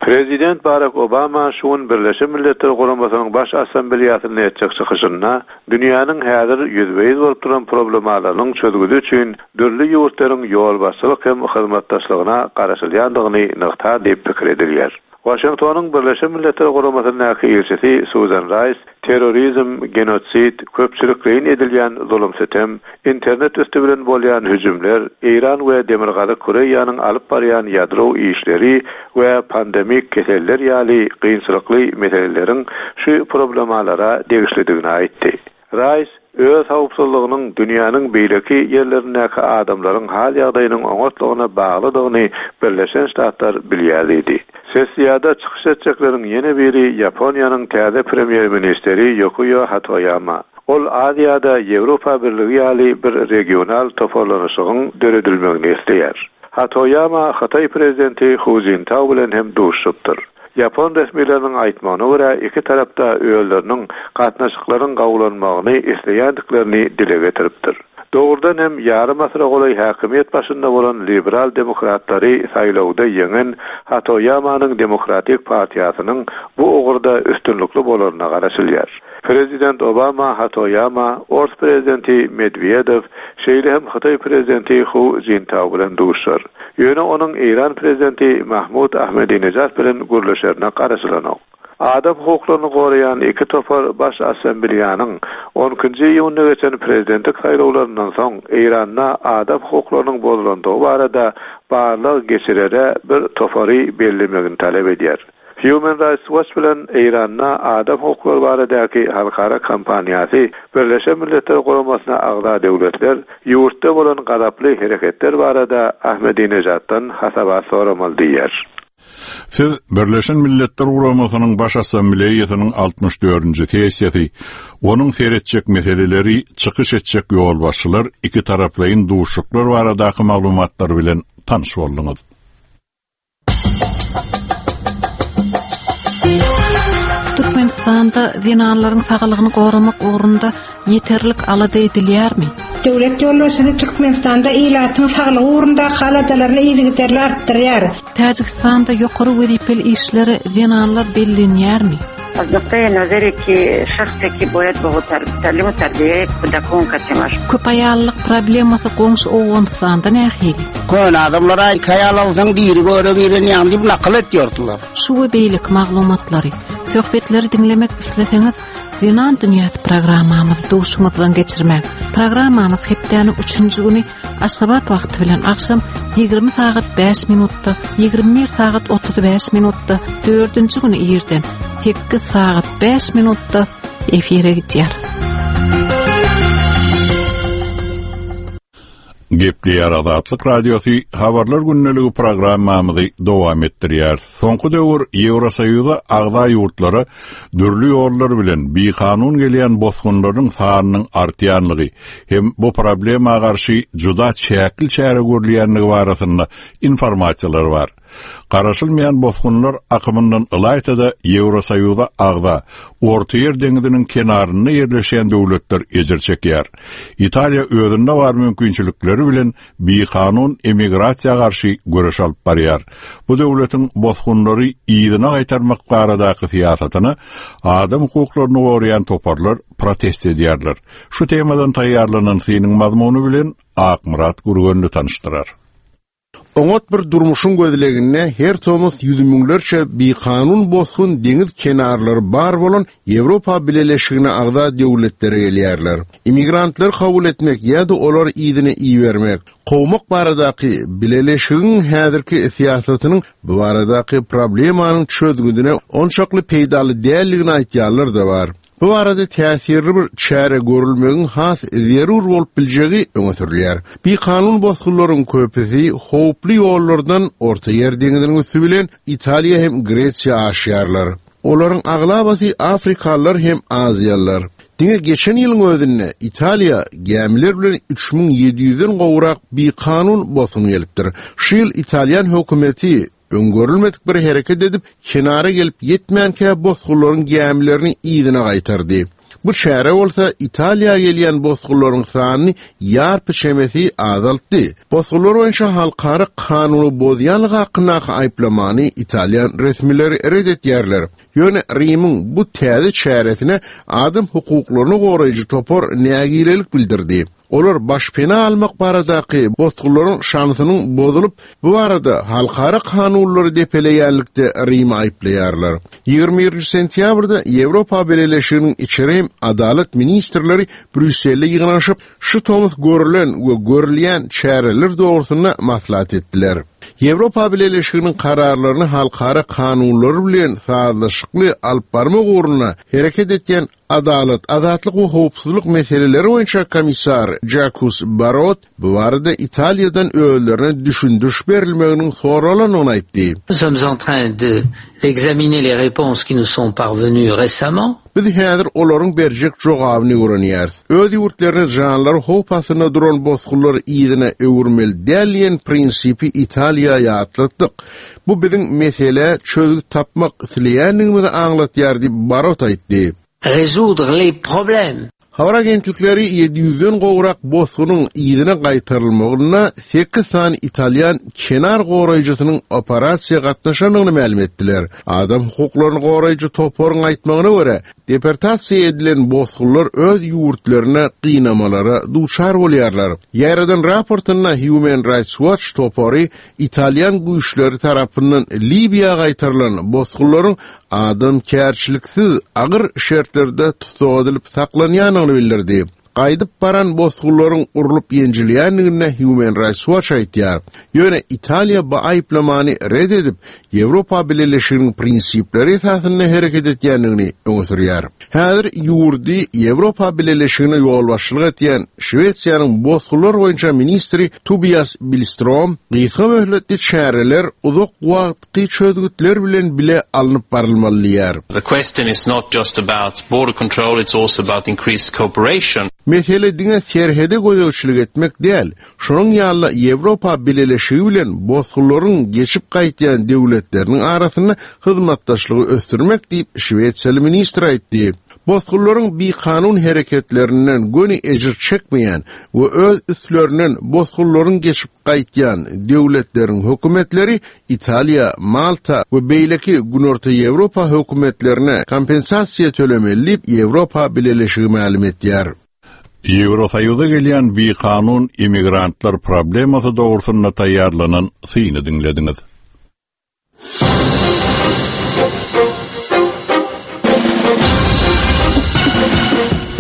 Prezident Barack Obama şu gün Birleşen Milletler Guramasynyň Baş Assambleýasynda etjek çykyşynda dünýäniň häzir ýüzbe-ýüz bolup duran problemalarynyň çözgüdi üçin dürli ýurtlaryň ýolbaşçylyk hem hyzmatdaşlygyna garaşylýandygyny nygtar diýip pikir edilýär. Washingtonyň Birleşen Milletler Guramasyndaky ilçisi Susan Rice terrorizm, genosid, köpçülikleýin edilýän zulum-sütem, internet üstü bilen bolýan hüjümler, Eýran we Demirgazyk Koreýanyň alyp barýan ýadro işleri we pandemik keseller ýaly kynçylykly meseleleriň şu problemalara degişlidigini aýtdy. Rice Öz howpsuzlygynyň dünýäniň beýleki ýerlerindäki adamlaryň hal ýagdaýynyň oňatlygyna baglydygyny Birleşen Ştatlar bilýär diýdi. Sessiýada çykyş etjekleriň ýene biri Ýaponiýanyň täze premýer-ministri Ýukiýo Hatoýama. Ol Aziýada Ýewropa Birligi ýaly bir regional toparlanyşygyň döredilmegini isleýär. Hatoýama Hytaý prezidenti Hu Jintao bilen hem duşupdyr. Ýapon resmileriniň aýtmagyna görä iki tarapda özleriniň gatnaşyklaryň gawlanmagyny isleýändiklerini dile getiripdir. Dogrudan hem ýarym asyra golaý häkimiýet başynda bolan liberal demokratlary saýlawda ýeňen Hatoýamanyň Demokratik partiýasynyň bu ugurda üstünlikli bolaryna garaşylýar. Prezident Obama Hatoýama, Ors prezidenti Medwedew, şeýle hem Hytaý prezidenti Hu Jintao bilen duşar. Ýöne onuň Eýran prezidenti Mahmud Ahmedinejad bilen gürleşerine garaşylanok. Adam hukuklaryny goraýan iki topar baş assambleýanyň on ikinji iýunda geçen prezidentlik saýlawlaryndan soň Eýranda adam hukuklarynyň bozulandygy barada barlag geçirere bir topary bellemegini talap edýär. Human Rights Watch bilen Eýranda adam hukuklary baradaky halkara kampaniýasy Birleşen Milletler Guramasyna agza döwletler ýurtda bolan gazaply hereketler barada Ahmedinejaddan hasabat soramaly diýýär. Siz Birleşen Milletler Guramasynyň Baş Assambleýasynyň altmyş dördünji sessiýasy, onuň seretjek meseleleri, çykyş etjek ýolbaşçylar, iki taraplaýyn duşuşyklar baradaky maglumatlar bilen tanyş bolduňyz. Türkmenistanda zenanlaryň saglygyny goramak ugrunda ýeterlik alada edilýärmi? Döwlet ýolbaşçysy Türkmenistanda ilatyň saglygy ugrunda aladalaryny yzygiderli artdyrýar. Täjigistanda ýokary wezipeli işlere zenanlar bellenýärmi? Az nuqtai nazari ki şahsi ki boyad bu talim terbiye kudakon katemaş. Köp aýallyk problemasy goňşy Owganystanda nähili? Kön adamlara aýal alsaň diri göre giren ýaňy diýip nakyl etýärdiler. Şu we beýleki maglumatlary, söhbetleri diňlemek isleseňiz, Zenan Dünýäsi programmamyzy duşuňyzdan geçirmek. Programmamyz hepdäniň üçünji güni Aşgabat wagty bilen akşam ýigrimi sagat bäş minutda, ýigrimi bir sagat otuz bäş minutda, dördünji güni irden sekiz sagat bäş minutda efire gidýär. Gepleýär Azatlyk Radiosy habarlar gündeligi programmamyzy dowam etdirýär. Soňky döwür Ýewrosoýuza agza ýurtlara dürli ýollar bilen bikanun gelýän bosgunlaryň sanynyň artýanlygy hem bu problema garşy juda çäkli çäre görülýänligi barasynda informasiýalar bar. Garaşylmaýan bosgunlar akymyndan ylaýta-da Ýewrosoýuza agza Ortaýer deňiziniň kenarynda ýerleşýän döwletler ejir çekýär. Italiýa özünde bar mümkinçilikleri bilen bikanun emigrasiýa garşy göreş alyp barýar. Bu döwletiň bosgunlary yzyna gaýtarmak baradaky syýasatyna adam hukuklaryny goraýan toparlar protest edýärler. Şu temadan taýýarlanan synyň mazmuny bilen Akmyrat Gürgenli tanyşdyrar. Oňat bir durmuşyň gözleginde her tomus ýüz müňlerçe bikanun bosgun deňiz kenarlary bar bolan Ýewropa Bileleşigine agza döwletlere gelýärler. Immigrantlar kabul etmek ýa-da olar yzyna ibermek, kowmak baradaky Bileleşigiň häzirki syýasatynyň bu baradaky problemanyň çözgüdine onçakly peýdaly däldigini aýtýarlar da bar. Bu arada täsirli bir çäre görülmegiň has zerur bolup biljegi öňe sürülýär. Bikanun bosgunlaryň köpüsi howply ýollardan Ortaýer deňiziniň üsti bilen Italiýa hem Gresiýa aşýarlar. Olaryň aglabasy Afrikalylar hem Aziýalylar. Diňe geçen ýylyň özünde Italiýa gämiler bilen üç müň ýedi ýüzden gowrak bikanun bosgun gelipdir. Şu ýyl Italýan hökümeti öňgörülmedik bir hereket edip, kenara gelip ýetmänkä bosgunlaryň gämilerini yzyna gaýtardy. Bu çäre bolsa Italiýa gelýän bosgunlaryň sanyny ýarpy çemesi azaltdy. Bosgunlar boýunça halkara kanuny bozýanlygy hakyndaky aýyplamany Italýan resmileri red etýärler. Ýöne Rimiň bu täze çäresine adam hukuklaryny goraýjy topar nägilelik bildirdi. Olar başpena almak baradaky bosgunlaryň şansynyň bozulyp, bu barada halkara kanunlary depeleýänlikde Rimi aýyplaýarlar. Ýigrimi birinji sentýabrda Ýewropa Bileleşiginiň içeri hem adalat ministrleri Brýusselde ýygnanyşyp, şu tomus görülen we görülýän çäreler dogrusynda maslahat etdiler. Ýewropa Bileleşiginiň kararlaryny halkara kanunlary bilen sazlaşykly alyp barmak ugrunda hereket etýän Adalat, azatlyk we howpsuzlyk meseleleri boýunça komissar Jacques Barrot bu barada Italiýadan özlerine düşündiriş berilmeginiň soralanyny aýtdy. Nous sommes en train de d'examiner les réponses qui nous sont parvenues récemment. Biz häzir olaryň berjek jogabyny öwrenýäris. Öz ýurtlaryna janlary howp astynda duran bosgunlary yzyna öwürmeli däl diýen prinsipi Italiýa ýatlatdyk. Bu biziň mesele çözgüt tapmak isleýändigimizi aňlatýar diýip Barot aýtdy. Résoudre les problèmes. Habar agentlikleri ýedi ýüzden gowrak bosgunyň yzyna gaýtarylmagyna sekiz sany italýan kenar goraýjysynyň operasiýa gatnaşandygyny mälim etdiler. Adam hukuklaryny goraýjy toparyň aýtmagyna görä, deportasiýa edilen bosgunlar öz ýurtlaryna gynamalara duçar bolýarlar. Ýaradan raportynda Human Rights Watch topary italýan güýçleri tarapyndan Liwiýa gaýtarylan bosgunlaryň adam kärçiliksiz agyr şertlerde tussag edilip saklanýandygyny bildirdi. Gaýdyp baran bosgunlaryň urlup ýenjilýändigini Human Rights Watch aýtýar. Ýöne Italiýa bu aýyplamany red edip, Ýewropa Bileleşiginiň prinsipleri esasynda hereket etýändigini öňe sürýär. Häzir ýurdy Ýewropa Bileleşigine ýolbaşçylyk etýän Şwesiýanyň bosgunlar boýunça ministri Tobias Billström gysga möhletli çäreler uzak wagtky çözgütler bilen bile alnyp barylmaly diýär. The question is not just about border control, it's also about increased cooperation. Mesele diňe serhede gözegçilik etmek däl, şonuň ýaly Ýewropa Bileleşigi bilen bosgunlaryň geçip gaýtýan döwletleriniň arasynda hyzmatdaşlygy ösdürmek diýip Şwesiýaly ministr aýtdy. Bosgunlaryň bikanun hereketlerinden göni ejir çekmeýän we öz üstlerinden bosgunlaryň geçip gaýtýan döwletleriň hökümetleri Italiýa, Malta we beýleki Günorta Ýewropa hökümetlerine kompensasiýa tölemeli diýip Ýewropa Bileleşigi mälim etýär. Ýewrosoýuza gelýän bikanun immigrantlar problemasy dogrusynda taýýarlanan syny diňlediňiz.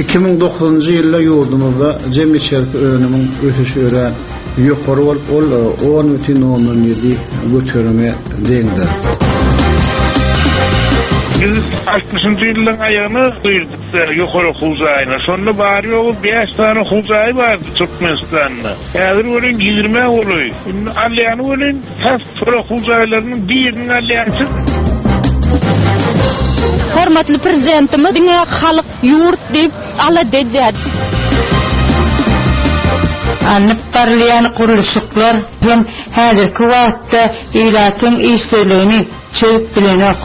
Iki müň dokuzynjy ýylda ýurdumyzda jem içerki önümiň ösüşi örän ýokary bolup, ol on bütin ondan ýedi göterime deňdir. Biz altmyşynjy ýyllaryň aýagyna girdik ýokary okuw jaýyna. Şonda bary ýogy bäş sany okuw jaýy bardy Türkmenistanda. Häzir welin ýigrimi golaý. Indi alýany welin tas şol okuw jaýlarynyň birini alýançy. Hormatly prezidentimiz diňe halk ýurt diýip alada edýär. Alnyp barylýan gurluşyklar hem häzirki wagtda ilatyň işsizligini çözüp bilenok.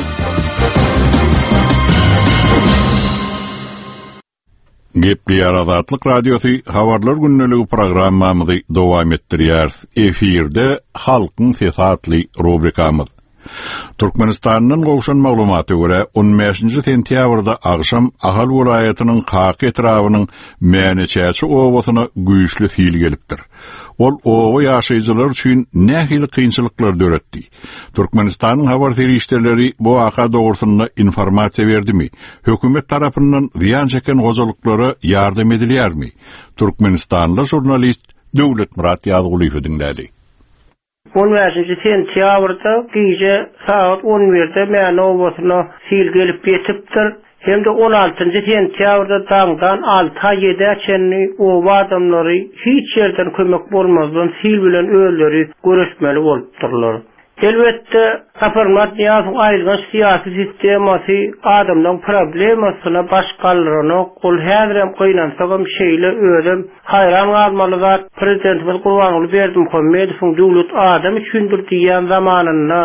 Gepleýär Azatlyk Radiosy habarlar gündeligi programmamyzy dowam etdirýär. Efirde Halkyň sesi atly rubrikamyz. Türkmenistandan gowşan maglumata görä on bäşinji sentýabrda agşam Ahal welaýatynyň Kaka etrabynyň Mäneçäçi obasyna güýçli sil gelipdir. Ol oba ýaşaýjylar üçin nähili kynçylyklar döretdi. Türkmenistanyň habar serişdeleri bu waka dogrusynda informasiýa berdimi? Hökümet tarapyndan zyýan çeken hojalyklara ýardam edilýärmi? Türkmenistanly jurnalist Döwletmyrat Ýazgulyýew diňlädi. On bäşinji sentýabrda gije saat on birde Mäne obasyna sil gelip ýetipdir. Hem de on altynjy sentýabrda daňdan alta ýedä çenli oba adamlary hiç ýerden kömek bolmazdan sil bilen özleri görüşmeli bolupdyrlar. Elbetde, Saparmyrat Nyýazowyň aýylganç syýasy sistemasy adamlaryň problemasyna baş galdyranok. Ol häzirem gynansagam şeýle özem haýran galmaly zat Prezidentimiz Gurbanguly Berdimuhamedowyň döwlet adam üçindir diýen zamanynda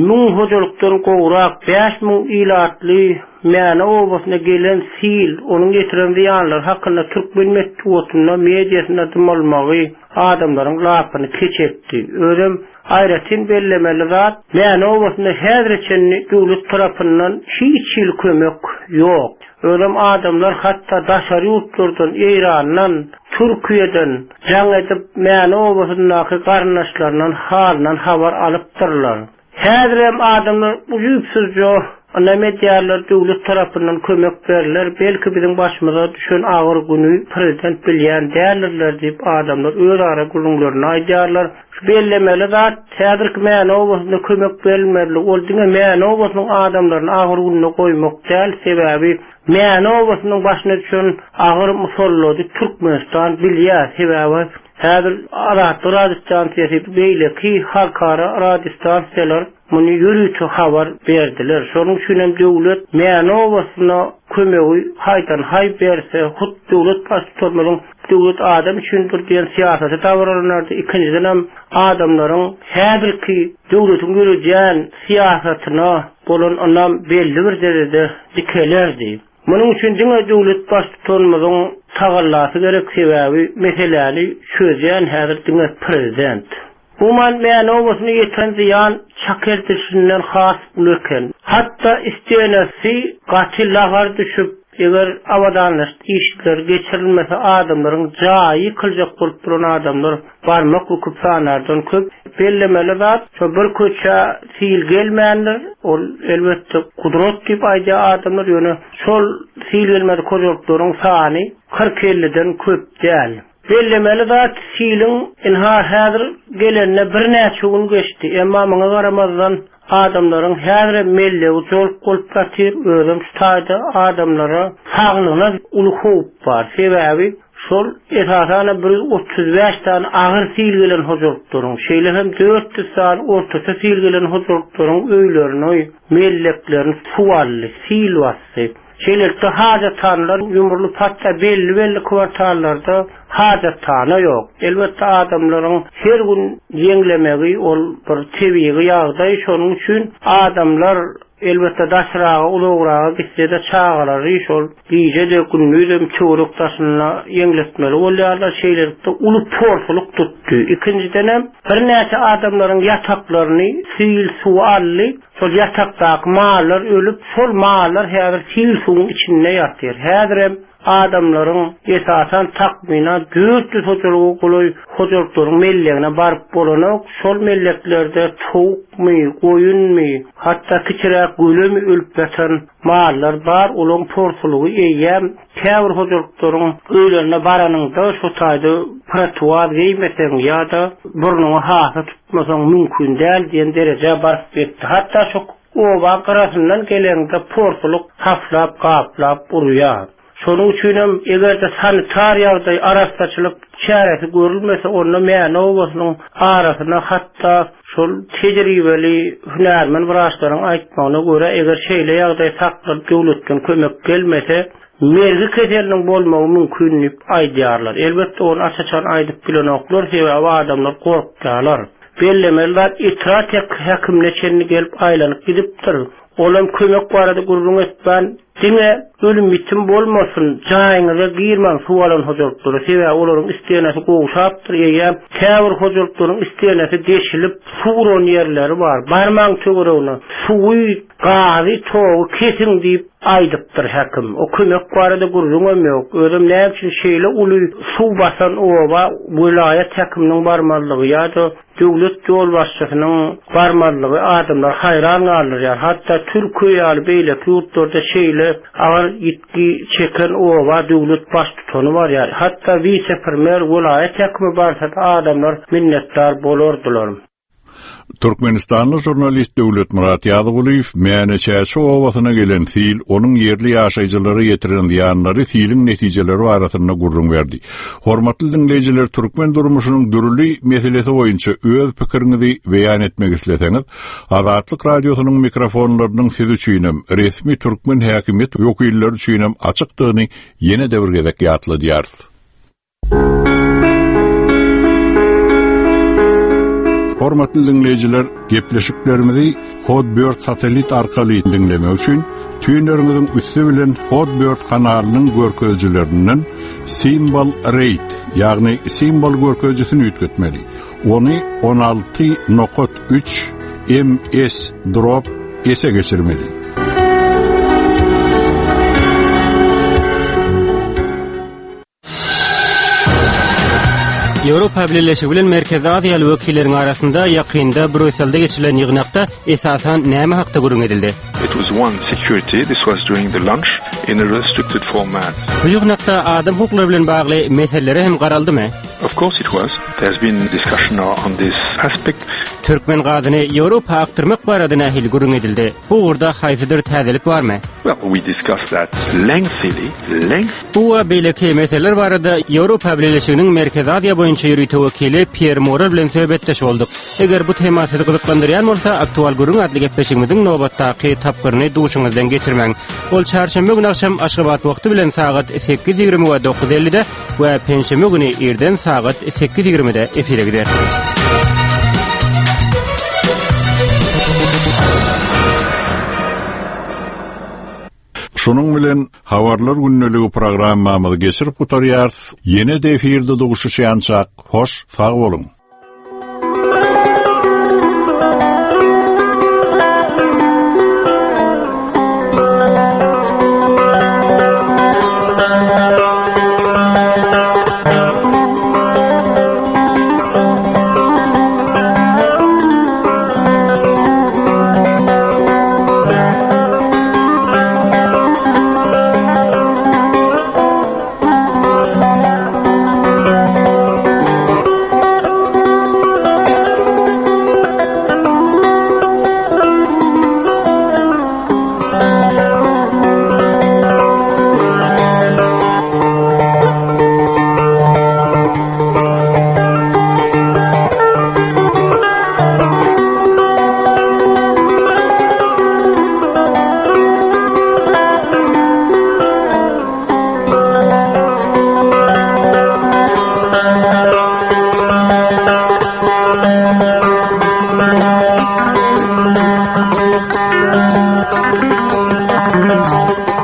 müň hojalykdan gowrak bäş müň ilatly Mäne obasyna gelen sil, onuň getiren zyýanlary hakynda türkmen metbugatynda, mediasynda dymalmagy adamlaryň lapyny keç etdi. Özem aýratyn bellemeli zat, Mäne obasynda häzire çenli döwlet tarapyndan hiç hili kömek ýok. Özem adamlar hatda daşary ýurtlardan, Eýrandan, Türkiýeden jaň edip Mäne obasyndaky garyndaşlaryndan halyndan habar alypdyrlar. Häzirem adamlar ujypsyzja ynam edýärler, döwlet tarapyndan kömek berler, belki biziň başymyza düşen agyr günü prezident bilýän däldirler diýip adamlar öz ara gürrüňlerini aýdýarlar. Şu bellemeli zat, häzirki Mäne obasynda kömek berilmeli. Ol diňe Mäne obasynyň adamlaryny agyr gününe goýmak däl, sebäbi Mäne obasynyň başyna düşen agyr musallady Türkmenistan bilýär. Sebäbi häzir Azatlyk radiostansiýasy, beýleki halkara radiostansiýalar muny ýörite habar berdiler. Şonuň üçin hem döwlet Mäne obasyna kömegi haýdan-haý berse, hut döwlet baştutanymyzyň döwlet adam üçindir diýen syýasaty dabaralanardy. Ikinjiden hem adamlaryň häzirki döwletiň ýöredýän syýasatyna bolan ynam belli bir derejede dikelerdi. Munuň üçin diňe döwlet baştutanymyzyň tagallasy gerek, sebäbi meseläni çözýän häzir diňe prezident. Umuman, Mäne obasyna ýeten zyýan çak edilişinden has uly eken. Hatda istenesi gaty lagar düşüp, eger abadanlaşdyk işleri geçirilmese adamlaryň jaýy ýykyljak bolup duran adamlar barmak büküp sanardan köp. Bellemeli zat, şo bir köçä sil gelmändir, ol elbetde gudrat diýip aýdýar adamlar, ýöne şol sil gelmedik hojalyklaryň sany kyrk-elliden köp däl. Bellemeli zat, siliň ynha häzir gelenine birnäçe gün geçdi, emma muňa garamazdan adamlaryň häzirem mellegi jolk bolup ýatyr, özem şu taýda adamlara saglygyna uly howp bar, sebäbi şol esasanam bir ýüz otuz bäş sany agyr sil gelen hojalyklaryň, şeýle hem dört ýüz sany ortaça sil gelen hojalyklaryň öýlerini, melleklerini suw aldy, sil basdy. Şeýlelikde hajathanalar ýumrulyp, hatda belli-belli kwartallarda hajathana ýok. Elbetde adamlaryň her gün ýeňlemegi ol bir tebigy ýagdaý, şonuň üçin adamlar elbetde daşraga, uzagraga gitse-de çagalary şol gije-de gündizem töwerek daşynda ýeňletmeli bolýarlar. Şeýlelikde uly porsulyk tutdy. Ikinjidenem birnäçe adamlaryň ýataklaryny sil suw aldy. Şol ýatakdaky mallar ölüp, şol mallar häzir sil suwuň içinde ýatyr. Häzirem adamlaryň esasan takmynan dört ýüz hojalyga golaý hojalyklaryň mellegine baryp bolanok. Şol melleklerde towukmy, goýunmy, hatda kiçiräk gölemi ölüp ýatan mallar bar. Olaryň porsulygy eýýäm käbir hojalyklaryň öýlerine baranyňda şo taýda protowaz geýmeseň ýa-da burnuňa hasa tutmasaň mümkin däl diýen derejä baryp ýetdi. Hatda şo oba gyrasyndan geleňde porsulyk haflap, gaplap urýar. Şonuň üçinem eger-de sanitar ýagdaý, arassaçylyk çäresi görülmese, onda Mäne obasynyň arasyna hatda şol tejribeli hünärmen wraçlaryň aýtmagyna görä, eger şeýle ýagdaý saklanyp döwletden kömek gelmese, mergi keseliniň bolmagy mümkin diýip aýdýarlar. Elbetde ony aç-açan aýdyp bilenoklar, sebäbi adamlar gorkýarlar. Bellemeli zat, etrap häkimine çenli gelip aýlanyp gidipdir. Olam kömek barada gürrüň etmän, diňe ölüm-ýitim bolmasyn, jaýyňyza girmäň suw alan hojalyklara, sebäbi olaryň istenesi gowşapdyr, eýýäm käbir hojalyklaryň istenesi deşilip, suw uran ýerleri bar. Barmaň töweregine, suwy, gazy, togy kesiň diýip aýdypdyr häkim. O kömek barada gürrüňem ýok. Özem näme üçin şeýle uly suw basan oba welaýat häkiminiň barmazlygy ýa-da döwlet ýolbaşçysynyň barmazlygy adamlary haýran galdyrýar. Hatda Türkiýe ýaly beýleki ýurtlarda şeýle agyr ýitgi çeken oba döwlet baştutany barýar. Hatda wise-premýer welaýat häkimi barsa-da adamlar minnetdar bolardylar. Türkmenistanly žurnalist Döwletmyrat Ýazgulyýew Mäne Çäçe obasyna gelen sil, onuň ýerli ýaşaýjylara ýetiren zyýanlary siliň netijeleri barasynda gürrüň berdi. Hormatly diňleýjiler, türkmen durmuşynyň dürli meselesi boýunça öz pikiriňizi beýan etmek isleseňiz, Azatlyk radiosynyň mikrofonlarynyň siz üçinem, resmi türkmen häkimiýet wekilleri üçinem açykdygyny ýene-de bir gezek ýatladýarys. Hormatly diňleýjiler, gepleşiklerimizi Hotbird satellit arkaly diňlemek üçin tüýnleriňiziň üsti bilen Hotbird kanalynyň görkezijilerinden Symbol Rate, ýagny simbol görkezijisini üýtgetmeli. Ony on alty nokat üç M S drop S-e geçirmeli. Ýewropa Birleşigi bilen Merkezi Aziýaly wekilleriň arasynda ýakynda Brýusselde geçirilen ýygnakda esasan näme hakda gürrüň edildi? It was one security, this was during the lunch in a restricted format. Bu ýygnakda adam hukuklary bilen bagly meselelere hem garaldymy? Of course it was. There's been discussion on this aspect. Türkmen gazyny Ýewropa akdyrmak barada nähili gürrüň edildi? Bu ugurda haýsydyr täzelik barmy? Well, we discussed that lengthily, length Bu we beýleki meseleler barada Ýewropa Bileleşiginiň Merkezi Aziýa boýunça ýörite wekili Pierre Morel bilen söhbetdeş bolduk. Eger bu tema sizi gyzyklandyrýan bolsa, aktual gürrüň atly gepleşigimiziň nobatdaky tapgyryny duşuňyzdan geçirmäň. Ol çarşenbe güni akşam Aşgabat wagty bilen sagat sekiz ýigrimi we dokuz ellide we penşenbe güni irden sagat sekiz ýigrimide efire gider. Şunuň bilen Habarlar gündeligi programmamyzy geçirip gutarýarys. Ýene de efirde duşuşýançak, hoş sag boluň. Thank you.